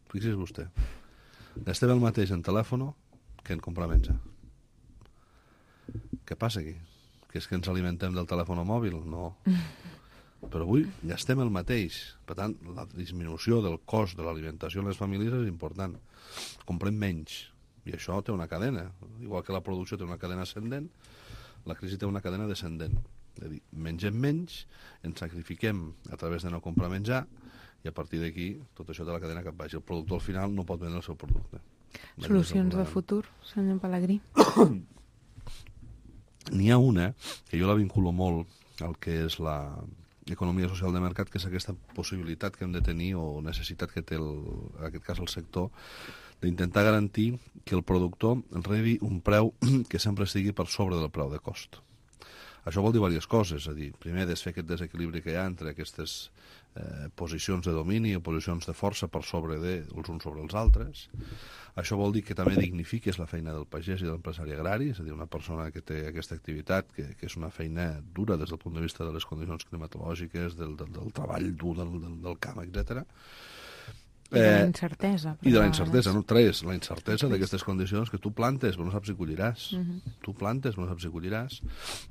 Fixi's vostè. Gastem el mateix en telèfon que en comprar menjar. Què passa aquí? Que és que ens alimentem del telèfon mòbil? No. Però avui gastem el mateix. Per tant, la disminució del cost de l'alimentació en les famílies és important. Comprem menys. I això té una cadena. Igual que la producció té una cadena ascendent, la crisi té una cadena descendent. És a dir, mengem menys, ens sacrifiquem a través de no comprar menjar, i a partir d'aquí tot això té la cadena cap baix. El productor al final no pot vendre el seu producte. Solucions de futur, senyor Pelegrí? N'hi ha una, que jo la vinculo molt al que és la economia social de mercat, que és aquesta possibilitat que hem de tenir o necessitat que té, el, en aquest cas, el sector, d'intentar garantir que el productor rebi un preu que sempre estigui per sobre del preu de cost. Això vol dir diverses coses, és a dir, primer desfer aquest desequilibri que hi ha entre aquestes eh, posicions de domini o posicions de força per sobre de, els uns sobre els altres. Això vol dir que també dignifiques la feina del pagès i de l'empresari agrari, és a dir, una persona que té aquesta activitat, que, que és una feina dura des del punt de vista de les condicions climatològiques, del, del, del treball dur del, del, del camp, etcètera. I de la incertesa. I de la incertesa, no? Tres, la incertesa d'aquestes condicions que tu plantes però no saps si colliràs. Uh -huh. Tu plantes però no saps si colliràs.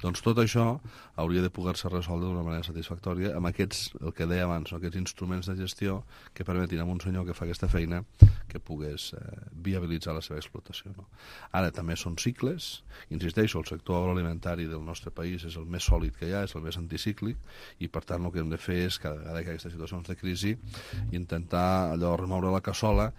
Doncs tot això hauria de poder-se resoldre d'una manera satisfactòria amb aquests, el que deia abans, no? Aquests instruments de gestió que permetin a un senyor que fa aquesta feina que pogués eh, viabilitzar la seva explotació, no? Ara, també són cicles. Insisteixo, el sector agroalimentari del nostre país és el més sòlid que hi ha, és el més anticíclic, i per tant el que hem de fer és, cada vegada que hi ha aquestes situacions de crisi, intentar allò remoure la cassola.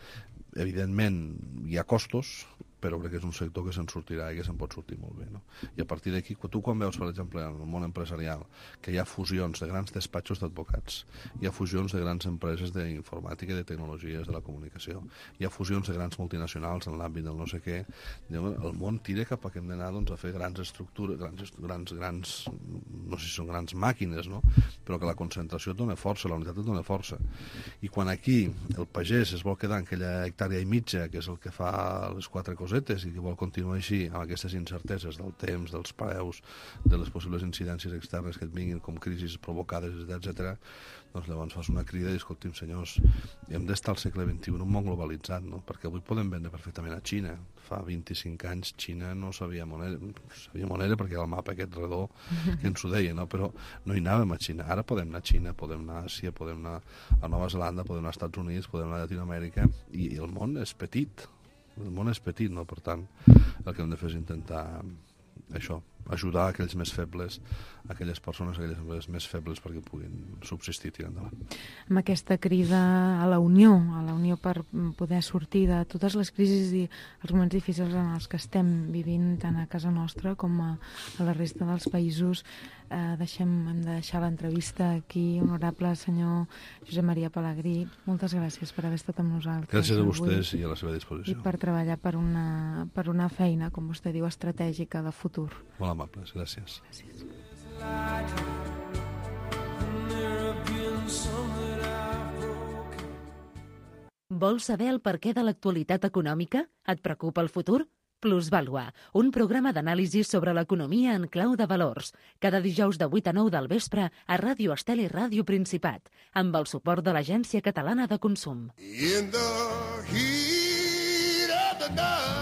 Evidentment hi ha costos, però crec que és un sector que se'n sortirà i que se'n pot sortir molt bé, no? I a partir d'aquí, tu quan veus, per exemple, en el món empresarial, que hi ha fusions de grans despatxos d'advocats, hi ha fusions de grans empreses d'informàtica i de tecnologies de la comunicació, hi ha fusions de grans multinacionals en l'àmbit del no sé què, el món tira cap a que hem d'anar, doncs, a fer grans estructures, grans, grans, grans, no sé si són grans màquines, no? Però que la concentració et dona força, la unitat et dona força. I quan aquí el pagès es vol quedar en aquella hectàrea i mitja, que és el que fa les quatre coses, i que vol continuar així amb aquestes incerteses del temps, dels preus, de les possibles incidències externes que et vinguin com crisis provocades, etcètera, doncs llavors fas una crida i, escolti'm, senyors, hem d'estar al segle vint-i-u en un món globalitzat, no? Perquè avui podem vendre perfectament a Xina. Fa vint-i-cinc anys Xina no sabia moneda, sabia moneda perquè era el mapa aquest redó que ens ho deia, no? Però no hi anàvem a Xina. Ara podem anar a Xina, podem anar a Àsia, podem anar a Nova Zelanda, podem anar als Estats Units, podem anar a Llatinoamèrica, i el món és petit. El món és petit, no? Per tant, el que hem de fer és intentar això, ajudar aquells més febles, aquelles persones, aquelles empreses més febles perquè puguin subsistir i tirar endavant. Amb aquesta crida a la unió, a la unió per poder sortir de totes les crisis i els moments difícils en els que estem vivint tant a casa nostra com a, a la resta dels països, eh, deixem, hem de deixar l'entrevista aquí. Honorable senyor Josep Maria Pelegrí, moltes gràcies per haver estat amb nosaltres. Gràcies a vostès i a la seva disposició. I per treballar per una, per una feina, com vostè diu, estratègica de futur. Molt amables, gràcies. Gràcies. Vols saber el perquè de l'actualitat econòmica? Et preocupa el futur? Plusvàlua, un programa d'anàlisi sobre l'economia en clau de valors. Cada dijous de vuit a nou del vespre a Ràdio Estel i Ràdio Principat, amb el suport de l'Agència Catalana de Consum. In the heat of the night.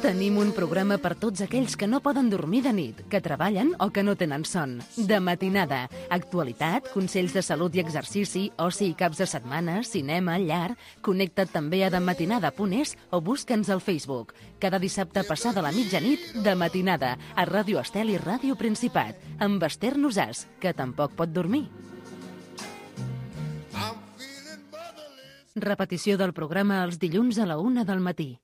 Tenim un programa per tots aquells que no poden dormir de nit, que treballen o que no tenen son. De matinada, actualitat, consells de salut i exercici, oci i caps de setmana, cinema, llar. Connecta't també a dematinada punt es o busca'ns al Facebook. Cada dissabte passada la mitjanit, de matinada, a Ràdio Estel i Ràdio Principat, amb Esther Nosàs, que tampoc pot dormir. Repetició del programa els dilluns a la una del matí.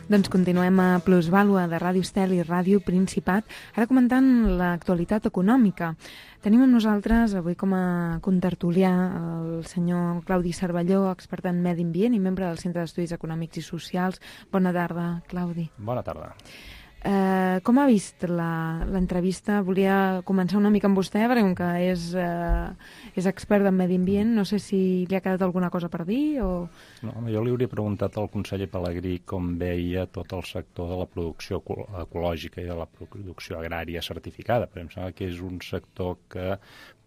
Doncs continuem a Plusvàlua de Ràdio Estel i Ràdio Principat, ara comentant l'actualitat econòmica. Tenim amb nosaltres avui com a contertulià el senyor Claudi Cervelló, expert en medi ambient i membre del Centre d'Estudis Econòmics i Socials. Bona tarda, Claudi. Bona tarda. Eh, com ha vist l'entrevista? Volia començar una mica amb vostè, perquè com que és, eh, és expert en medi ambient, no sé si li ha quedat alguna cosa per dir o... No, home, jo li hauria preguntat al conseller Pelegrí com veia tot el sector de la producció ecològica i de la producció agrària certificada, perquè em sembla que és un sector que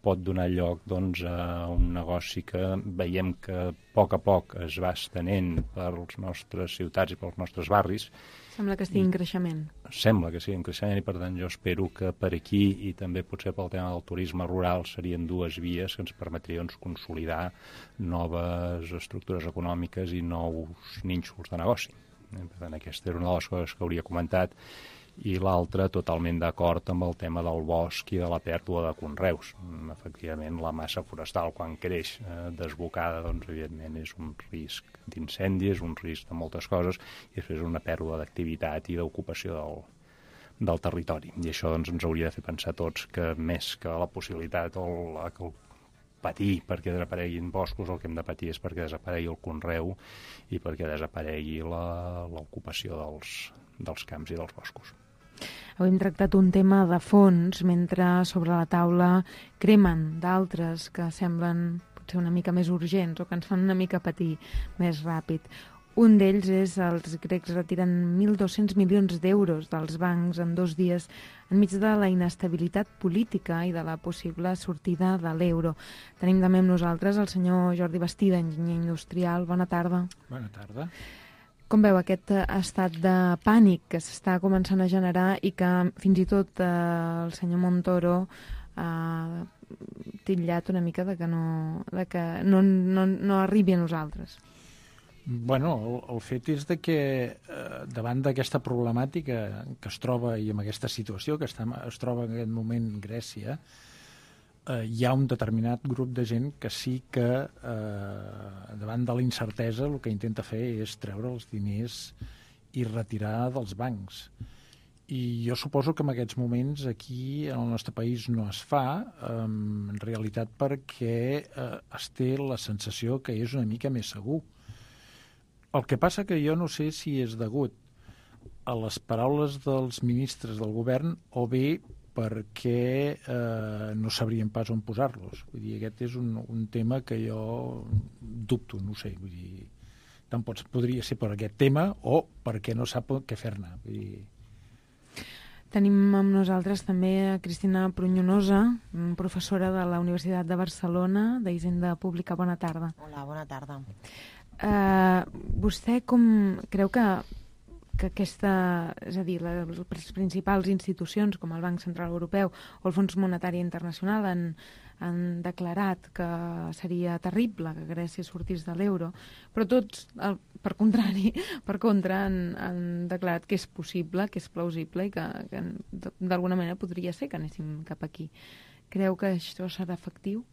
pot donar lloc doncs, a un negoci que veiem que a poc a poc es va estenent per les nostres ciutats i pels nostres barris. Sembla que estigui en creixement. Sembla que sigui en creixement i, per tant, jo espero que per aquí i també potser pel tema del turisme rural serien dues vies que ens permetrien doncs, consolidar noves estructures econòmiques i nous nínxols de negoci. Per tant, aquesta era una de les coses que hauria comentat. I l'altra, totalment d'acord amb el tema del bosc i de la pèrdua de conreus. Efectivament, la massa forestal, quan creix eh, desbocada, doncs, evidentment, és un risc d'incendi, és un risc de moltes coses, i després una pèrdua d'activitat i d'ocupació del, del territori. I això doncs, ens hauria de fer pensar tots que més que la possibilitat o la, que el patir perquè desapareguin boscos, el que hem de patir és perquè desaparegui el conreu i perquè desaparegui l'ocupació dels, dels camps i dels boscos. Avui hem tractat un tema de fons, mentre sobre la taula cremen d'altres que semblen potser una mica més urgents o que ens fan una mica patir més ràpid. Un d'ells és els grecs retiren mil dos-cents milions d'euros dels bancs en dos dies enmig de la inestabilitat política i de la possible sortida de l'euro. Tenim també amb nosaltres el senyor Jordi Bastida, enginyer industrial. Bona tarda. Bona tarda. Com veu aquest estat de pànic que s'està començant a generar i que fins i tot eh, el senyor Montoro ha titllat una mica de que no, de que no, no, no arribi a nosaltres? Bueno, el, el fet és de que eh, davant d'aquesta problemàtica que es troba i amb aquesta situació que està, es troba en aquest moment Grècia, eh, hi ha un determinat grup de gent que sí que eh, davant de la incertesa el que intenta fer és treure els diners i retirar dels bancs. I jo suposo que en aquests moments aquí en el nostre país no es fa, eh, en realitat perquè eh, es té la sensació que és una mica més segur. El que passa que jo no sé si és degut a les paraules dels ministres del govern o bé perquè eh, no sabrien pas on posar-los. Vull dir, aquest és un, un tema que jo dubto, no sé. Vull dir, tant pots, podria ser per aquest tema o perquè no sap què fer-ne. Vull dir... Tenim amb nosaltres també a Cristina Prunyonosa, professora de la Universitat de Barcelona, d'Hisenda Pública. Bona tarda. Hola, bona tarda. Uh, vostè com creu que, que aquesta, és a dir, les principals institucions com el Banc Central Europeu o el Fons Monetari Internacional han, han declarat que seria terrible que Grècia sortís de l'euro, però tots, per contrari, per contra, han, han declarat que és possible, que és plausible i que, que d'alguna manera podria ser que anéssim cap aquí. Creu que això serà efectiu?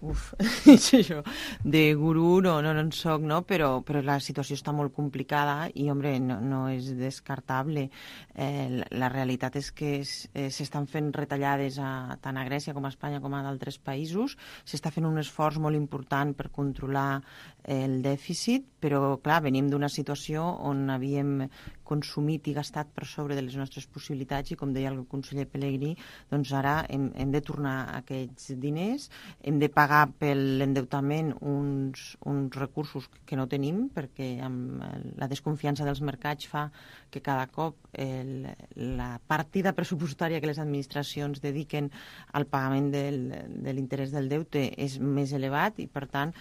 uf, això, de gurú no, no, no en soc, no? Però, però la situació està molt complicada i, hombre, no, no és descartable. Eh, la, la realitat és que s'estan fent retallades a, tant a Grècia com a Espanya com a d'altres països. S'està fent un esforç molt important per controlar el dèficit, però, clar, venim d'una situació on havíem consumit i gastat per sobre de les nostres possibilitats i, com deia el conseller Pelegrí, doncs ara hem, hem de tornar aquests diners, hem de pagar per l'endeutament uns, uns recursos que no tenim, perquè amb la desconfiança dels mercats fa que cada cop el, la partida pressupostària que les administracions dediquen al pagament del, de l'interès del deute és més elevat i, per tant,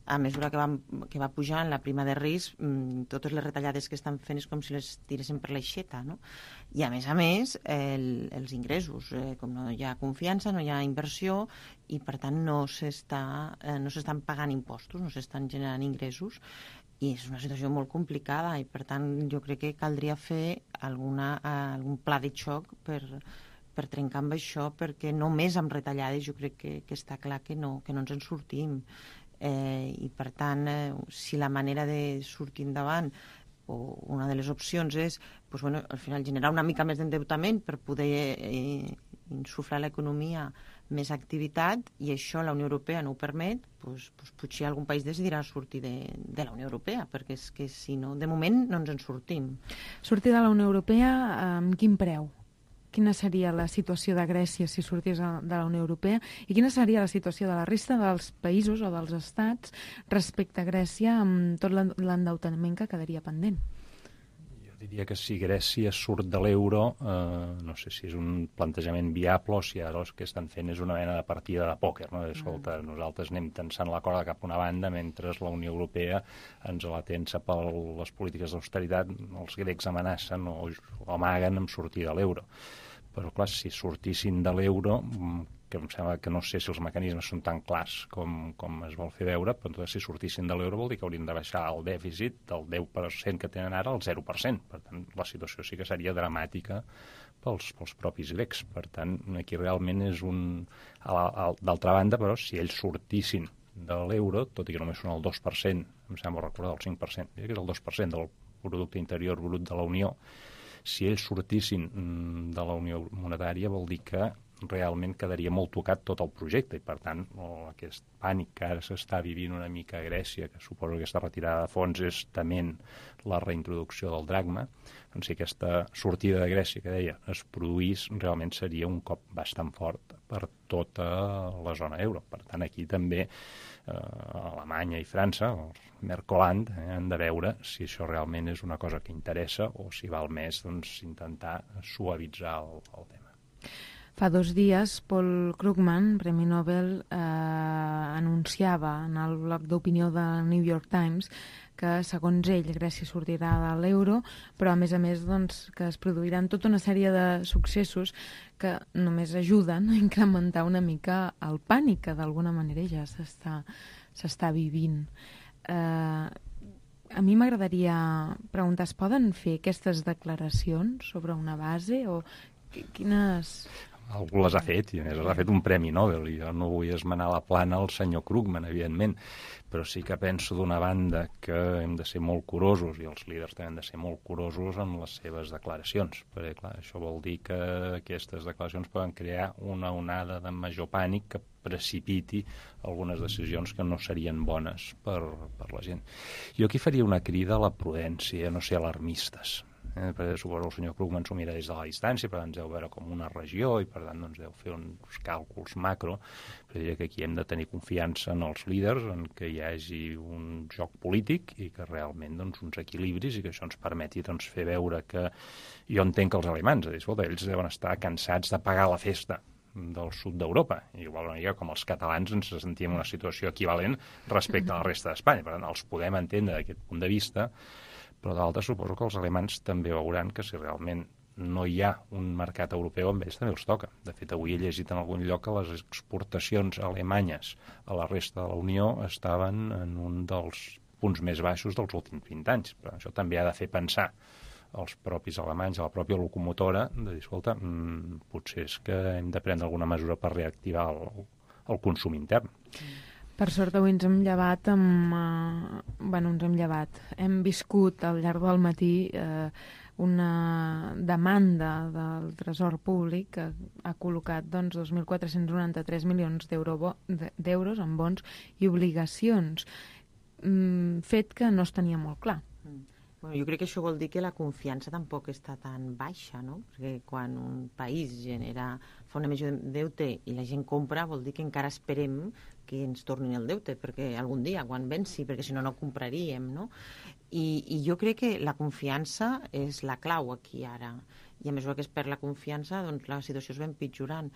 a mesura que va, que va pujant la prima de risc, totes les retallades que estan fent és com si les tiressin per l'aixeta, no? I, a més a més, el, els ingressos, eh, com no hi ha confiança, no hi ha inversió i, per tant, no s'està, eh, no s'estan pagant impostos, no s'estan generant ingressos i és una situació molt complicada i, per tant, jo crec que caldria fer alguna, algun pla de xoc per, per trencar amb això, perquè només amb retallades jo crec que, que està clar que no, que no ens en sortim. Eh, i per tant, eh, si la manera de sortir endavant o una de les opcions és pues, bueno, al final generar una mica més d'endeutament per poder eh, insuflar a l'economia més activitat i això la Unió Europea no ho permet, pues, pues, potser algun país decidirà sortir de, de la Unió Europea, perquè és que si no, de moment no ens en sortim. Sortir de la Unió Europea amb quin preu? Quina seria la situació de Grècia si sortís de la Unió Europea i quina seria la situació de la resta dels països o dels estats respecte a Grècia amb tot l'endeutament que quedaria pendent? Jo diria que si Grècia surt de l'euro, eh, no sé si és un plantejament viable o si ara el que estan fent és una mena de partida de pòquer, no? Escolta, mm. nosaltres anem tensant la corda cap a una banda mentre la Unió Europea ens la tensa per les polítiques d'austeritat, els grecs amenacen o, o amaguen amb sortir de l'euro. Però, clar, si sortissin de l'euro, que em sembla que no sé si els mecanismes són tan clars com, com es vol fer veure, però si sortissin de l'euro vol dir que haurien de baixar el dèficit del deu per cent que tenen ara al zero per cent. Per tant, la situació sí que seria dramàtica pels, pels propis grecs. Per tant, aquí realment és un... D'altra banda, però, si ells sortissin de l'euro, tot i que només són el dos per cent, em sembla recordar el cinc per cent, que és el dos per cent del producte interior brut de la Unió, si ells sortissin de la Unió Monetària vol dir que realment quedaria molt tocat tot el projecte i, per tant, oh, aquest pànic que ara s'està vivint una mica a Grècia, que suposo que aquesta retirada de fons és tement la reintroducció del dracma, doncs si aquesta sortida de Grècia, que deia, es produís, realment seria un cop bastant fort per tota la zona euro. Per tant, aquí també eh, Alemanya i França, els Mercoland, eh, han de veure si això realment és una cosa que interessa o si val més doncs, intentar suavitzar el, el tema. Fa dos dies, Paul Krugman, Premi Nobel, eh, anunciava en el bloc d'opinió de New York Times que, segons ell, Grècia sortirà de l'euro, però, a més a més, doncs, que es produiran tota una sèrie de successos que només ajuden a incrementar una mica el pànic que, d'alguna manera, ja s'està s'està vivint. Eh, a mi m'agradaria preguntar, es poden fer aquestes declaracions sobre una base o quines... Algú les ha fet, i a més les ha fet un Premi Nobel, i jo no vull esmenar la plana al senyor Krugman, evidentment, però sí que penso d'una banda que hem de ser molt curosos, i els líders també han de ser molt curosos amb les seves declaracions, perquè, clar, això vol dir que aquestes declaracions poden crear una onada de major pànic que precipiti algunes decisions que no serien bones per, per la gent. Jo aquí faria una crida a la prudència, no ser alarmistes. Eh, perquè suposo el senyor Krugman s'ho mira des de la distància, per tant ens deu veure com una regió i per tant doncs, deu fer uns càlculs macro, però diria que aquí hem de tenir confiança en els líders, en que hi hagi un joc polític i que realment doncs, uns equilibris i que això ens permeti doncs, fer veure que jo entenc que els alemans, dir, escolta, ells deuen estar cansats de pagar la festa del sud d'Europa, i igual una mica com els catalans ens sentíem en una situació equivalent respecte a la resta d'Espanya, per tant els podem entendre d'aquest punt de vista, però d'altres suposo que els alemans també veuran que si realment no hi ha un mercat europeu, amb ells també els toca. De fet, avui he llegit en algun lloc que les exportacions alemanyes a la resta de la Unió estaven en un dels punts més baixos dels últims vint anys. Però això també ha de fer pensar als propis alemanys, a la pròpia locomotora, de dir, escolta, mmm, potser és que hem de prendre alguna mesura per reactivar el, el consum intern. Per sort avui ens hem llevat amb... Eh, bueno, ens hem llevat. Hem viscut al llarg del matí eh, una demanda del Tresor Públic que ha col·locat doncs, dos mil quatre-cents noranta-tres milions d'euros en bons i obligacions. Mm, fet que no es tenia molt clar. Bueno, jo crec que això vol dir que la confiança tampoc està tan baixa, no? Perquè quan un país genera, fa una emissió de deute i la gent compra, vol dir que encara esperem que ens tornin el deute, perquè algun dia, quan venci, perquè si no, no compraríem, no? I, i jo crec que la confiança és la clau aquí ara. I a mesura que es perd la confiança, doncs la situació es va empitjorant.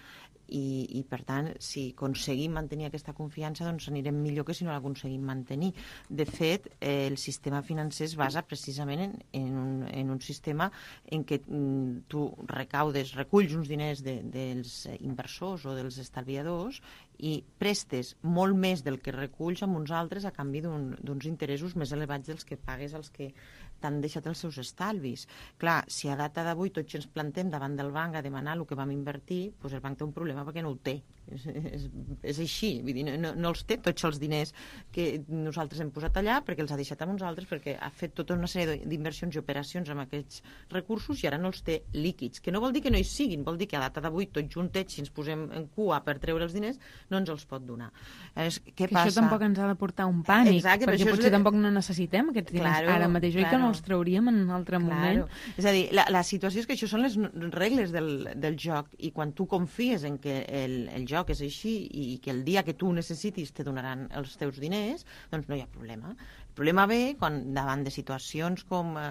I, i per tant, si aconseguim mantenir aquesta confiança, doncs anirem millor que si no l'aconseguim mantenir. De fet, eh, el sistema financer es basa precisament en, en, un, en un sistema en què mm, tu recaudes, reculls uns diners de, dels inversors o dels estalviadors i prestes molt més del que reculls amb uns altres a canvi d'uns un, interessos més elevats dels que pagues als que t'han deixat els seus estalvis. Clar, si a data d'avui tots ens plantem davant del banc a demanar el que vam invertir, doncs el banc té un problema perquè no ho té. És, és, és així, vull dir, no, no els té tots els diners que nosaltres hem posat allà perquè els ha deixat amb uns altres, perquè ha fet tota una sèrie d'inversions i operacions amb aquests recursos i ara no els té líquids, que no vol dir que no hi siguin, vol dir que a data d'avui tots juntets, si ens posem en cua per treure els diners, no ens els pot donar. És, què que passa? Això tampoc ens ha de portar un pànic, Exacte, perquè potser és... tampoc no necessitem aquests diners claro, ara mateix, oi claro. que no els trauríem en un altre claro. moment. És a dir, la, la situació és que això són les regles del, del joc i quan tu confies en que el, el joc és així i que el dia que tu necessitis te donaran els teus diners, doncs no hi ha problema. El problema ve quan davant de situacions com eh,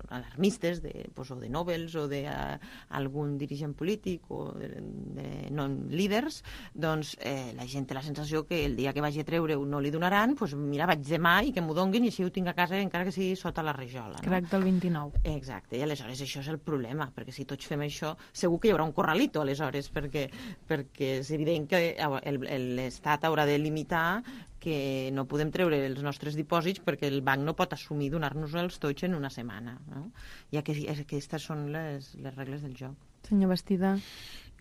alarmistes de, pues, o de Nobels o d'algun uh, dirigent polític o de, de non-líders, doncs eh, la gent té la sensació que el dia que vagi a treure no li donaran, doncs mira, vaig demà i que m'ho donguin i així ho tinc a casa encara que sigui sota la rajola. No? Crac del vint-i-nou. Exacte, i aleshores això és el problema, perquè si tots fem això, segur que hi haurà un corralito aleshores, perquè, perquè és evident que l'Estat haurà de limitar que no podem treure els nostres dipòsits perquè el banc no pot assumir donar-nos-els tots en una setmana. No? I aquestes són les, les regles del joc. Senyor Bastida.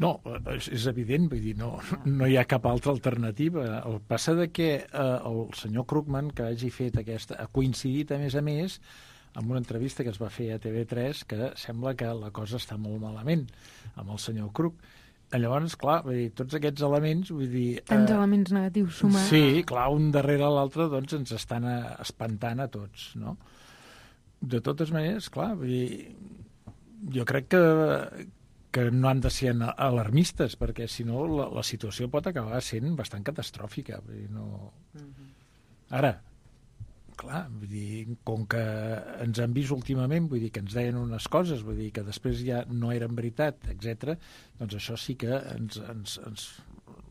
No, és, és evident, vull dir, no, no hi ha cap altra alternativa. El passa de que eh, el senyor Krugman, que hagi fet aquesta, ha coincidit a més a més amb una entrevista que es va fer a T V tres que sembla que la cosa està molt malament amb el senyor Krug. Llavors, clar, vull dir, tots aquests elements, vull dir... Tants eh, elements negatius sumats. Sí, clar, un darrere l'altre, doncs, ens estan espantant a tots, no? De totes maneres, clar, vull dir, jo crec que, que no han de ser alarmistes, perquè, si no, la, la situació pot acabar sent bastant catastròfica. Vull dir, no... Ara, clar, vull dir, com que ens han vist últimament, vull dir que ens deien unes coses, vull dir que després ja no eren veritat, etcètera, doncs això sí que ens, ens, ens,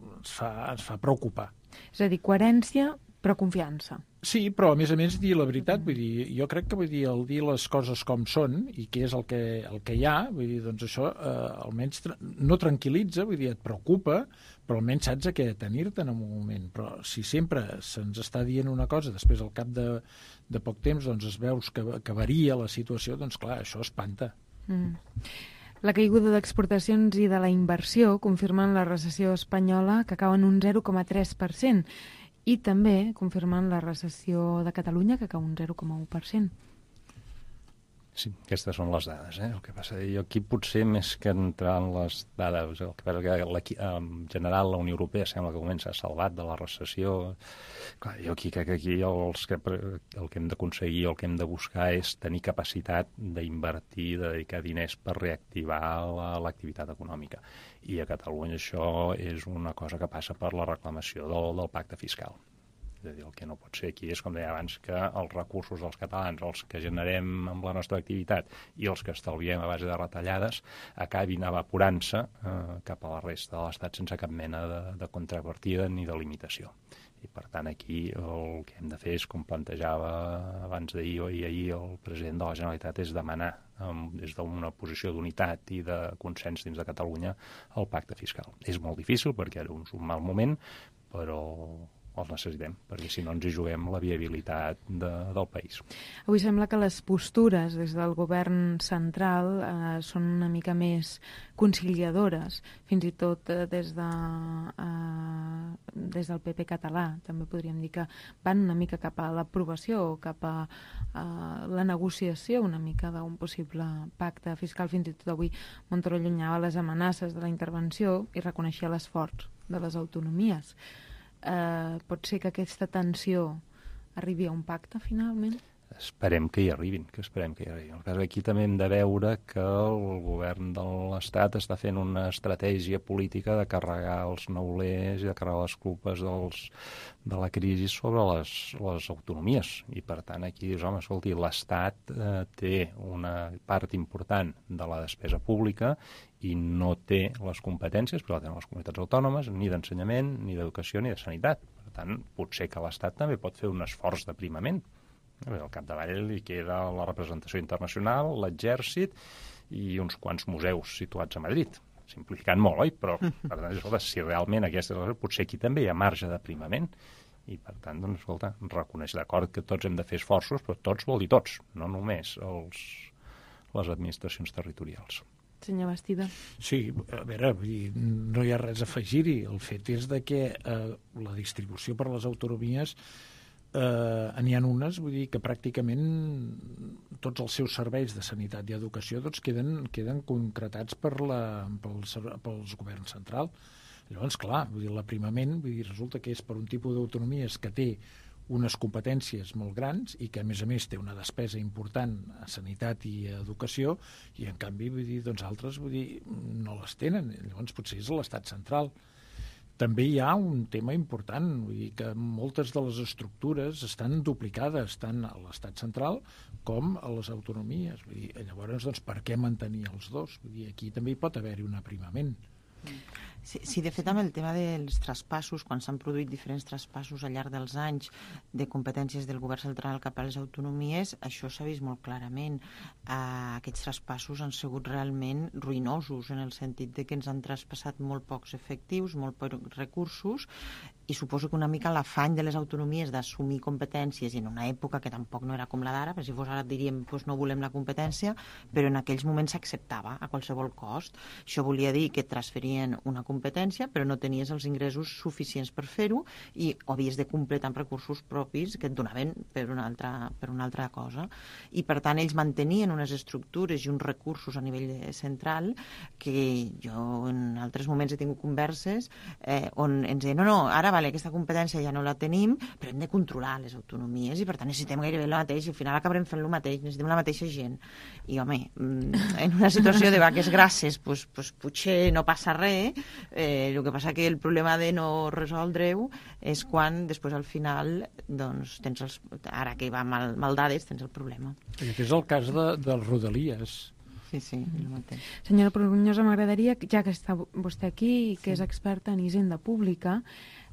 ens, fa, ens fa preocupar. És a dir, coherència, però confiança. Sí, però a més a més dir la veritat, vull dir, jo crec que vull dir, el dir les coses com són i què és el que, el que hi ha, vull dir, doncs això eh, almenys tra no tranquil·litza, vull dir, et preocupa, però almenys saps a què tenir-te en un moment. Però si sempre se'ns està dient una cosa, després al cap de, de poc temps doncs es veus que, que varia la situació, doncs clar, això espanta. Mm. La caiguda d'exportacions i de la inversió confirmen la recessió espanyola que cau en un zero coma tres per cent i també confirmen la recessió de Catalunya que cau un zero coma u per cent. Sí, aquestes són les dades. Eh? El que passa, jo aquí potser més que entrar en les dades, el que passa que en general la Unió Europea sembla que comença a salvat de la recessió. Clar, jo aquí crec que aquí els que, el que hem d'aconseguir, el que hem de buscar és tenir capacitat d'invertir, de dedicar diners per reactivar l'activitat la, econòmica. I a Catalunya això és una cosa que passa per la reclamació del, del pacte fiscal. És a dir, el que no pot ser aquí és, com deia abans, que els recursos dels catalans, els que generem amb la nostra activitat i els que estalviem a base de retallades, acabin evaporant-se eh, cap a la resta de l'Estat sense cap mena de, de contrapartida ni de limitació. I, per tant, aquí el que hem de fer és, com plantejava abans d'ahir i ahir el president de la Generalitat, és demanar um, des d'una posició d'unitat i de consens dins de Catalunya el pacte fiscal. És molt difícil perquè ara és un mal moment, però els necessitem, perquè si no ens hi juguem la viabilitat de, del país. Avui sembla que les postures des del govern central eh, són una mica més conciliadores, fins i tot eh, des de eh, des del P P català, també podríem dir que van una mica cap a l'aprovació o cap a, a la negociació una mica d'un possible pacte fiscal. Fins i tot avui Montoro allunyava les amenaces de la intervenció i reconeixia l'esforç de les autonomies. Eh, pot ser que aquesta tensió arribi a un pacte finalment? Esperem que hi arribin, que esperem que hi arribin. El cas aquí també hem de veure que el govern de l'Estat està fent una estratègia política de carregar els neulers i de carregar les culpes dels, de la crisi sobre les, les autonomies. I, per tant, aquí dius, home, escolti, l'Estat eh, té una part important de la despesa pública i no té les competències, però la tenen les comunitats autònomes, ni d'ensenyament, ni d'educació, ni de sanitat. Per tant, potser que l'Estat també pot fer un esforç d'aprimament. Al capdavall hi queda la representació internacional, l'exèrcit i uns quants museus situats a Madrid. Simplificant molt, oi? Però, per tant, escolta, si realment aquesta... Potser aquí també hi ha marge d'aprimament. I, per tant, doncs, escolta, reconeix d'acord que tots hem de fer esforços, però tots vol dir tots, no només els, les administracions territorials. Senyor Bastida. Sí, a veure, vull dir, no hi ha res a afegir-hi. El fet és de que eh, la distribució per les autonomies eh, n'hi ha unes, vull dir que pràcticament tots els seus serveis de sanitat i educació doncs, queden, queden concretats per la, pels, pels governs central. Llavors, clar, vull dir, l'aprimament vull dir, resulta que és per un tipus d'autonomies que té unes competències molt grans i que, a més a més, té una despesa important a sanitat i a educació i, en canvi, vull dir, doncs altres vull dir, no les tenen. Llavors, potser és l'Estat central. També hi ha un tema important, vull dir que moltes de les estructures estan duplicades tant a l'Estat central com a les autonomies. Vull dir, llavors, doncs, per què mantenir els dos? Vull dir, aquí també hi pot haver-hi un aprimament. Sí, sí, de fet, amb el tema dels traspassos, quan s'han produït diferents traspassos al llarg dels anys de competències del govern central cap a les autonomies, això s'ha vist molt clarament. Eh, aquests traspassos han sigut realment ruïnosos, en el sentit de que ens han traspassat molt pocs efectius, molt pocs recursos, i suposo que una mica l'afany de les autonomies d'assumir competències en una època que tampoc no era com la d'ara, perquè si fos ara diríem doncs no volem la competència, però en aquells moments s'acceptava a qualsevol cost. Això volia dir que et transferien una competència, però no tenies els ingressos suficients per fer-ho i ho havies de completar amb recursos propis que et donaven per una altra, per una altra cosa. I per tant ells mantenien unes estructures i uns recursos a nivell central que jo en altres moments he tingut converses eh, on ens deien, no, no, ara vale, aquesta competència ja no la tenim, però hem de controlar les autonomies i per tant necessitem gairebé el mateix i al final acabarem fent el mateix, necessitem la mateixa gent. I home, en una situació de vaques grasses, pues, pues, potser no passa res, eh, el que passa que el problema de no resoldre-ho és quan després al final, doncs, tens els, ara que va mal, mal dades, tens el problema. I aquest és el cas de, dels Rodalies. Sí, sí, el mateix. Senyora Prunyosa, m'agradaria, ja que està vostè aquí i que sí. és experta en hisenda pública,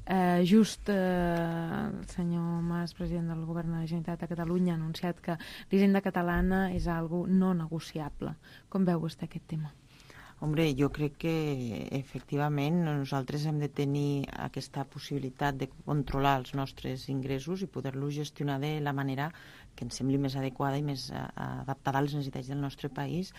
eh, just eh, el senyor Mas, president del govern de la Generalitat de Catalunya, ha anunciat que l'hisenda catalana és algo no negociable. Com veu vostè aquest tema? Hombre, jo crec que efectivament nosaltres hem de tenir aquesta possibilitat de controlar els nostres ingressos i poder-los gestionar de la manera que ens sembli més adequada i més adaptada a les necessitats del nostre país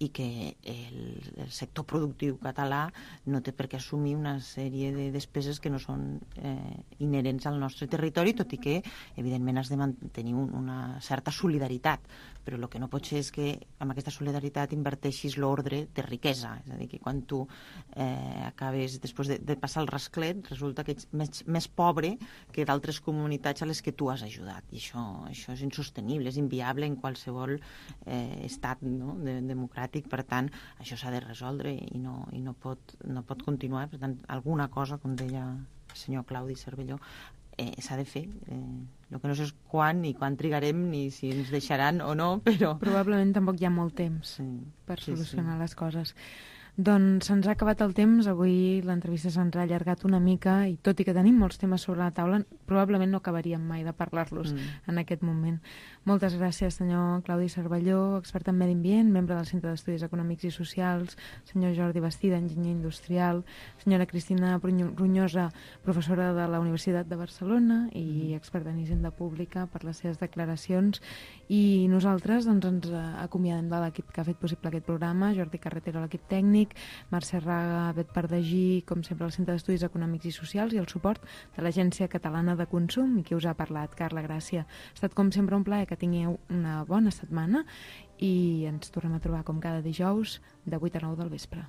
i que el, el sector productiu català no té per què assumir una sèrie de despeses que no són eh, inherents al nostre territori, tot i que, evidentment, has de mantenir un, una certa solidaritat. Però el que no pot ser és que amb aquesta solidaritat inverteixis l'ordre de riquesa. És a dir, que quan tu eh, acabes, després de, de passar el rasclet, resulta que ets més, més pobre que d'altres comunitats a les que tu has ajudat. I això, això és insostenible, és inviable en qualsevol eh, estat, no? de, democràtic. Per tant, això s'ha de resoldre i no, i no, pot, no pot continuar. Per tant, alguna cosa, com deia el senyor Claudi Cervelló, Eh, s'ha de fer. Eh, el que no sé és quan i quan trigarem ni si ens deixaran o no, però... Probablement tampoc hi ha molt temps sí, per sí, solucionar sí. les coses. Doncs se'ns ha acabat el temps, avui l'entrevista se'ns ha allargat una mica i tot i que tenim molts temes sobre la taula, probablement no acabaríem mai de parlar-los mm. en aquest moment. Moltes gràcies, senyor Claudi Cervelló, expert en medi ambient, membre del Centre d'Estudis Econòmics i Socials, senyor Jordi Bastida, enginyer industrial, senyora Cristina Prunyosa, professora de la Universitat de Barcelona i experta en hisenda pública, per les seves declaracions. I nosaltres doncs, ens acomiadem de l'equip que ha fet possible aquest programa, Jordi Carretero, l'equip tècnic, tècnic, Mercè Raga, Bet Pardagí, com sempre, el Centre d'Estudis Econòmics i Socials i el suport de l'Agència Catalana de Consum, i qui us ha parlat, Carla Gràcia. Ha estat, com sempre, un plaer, que tingueu una bona setmana i ens tornem a trobar com cada dijous de vuit a nou del vespre.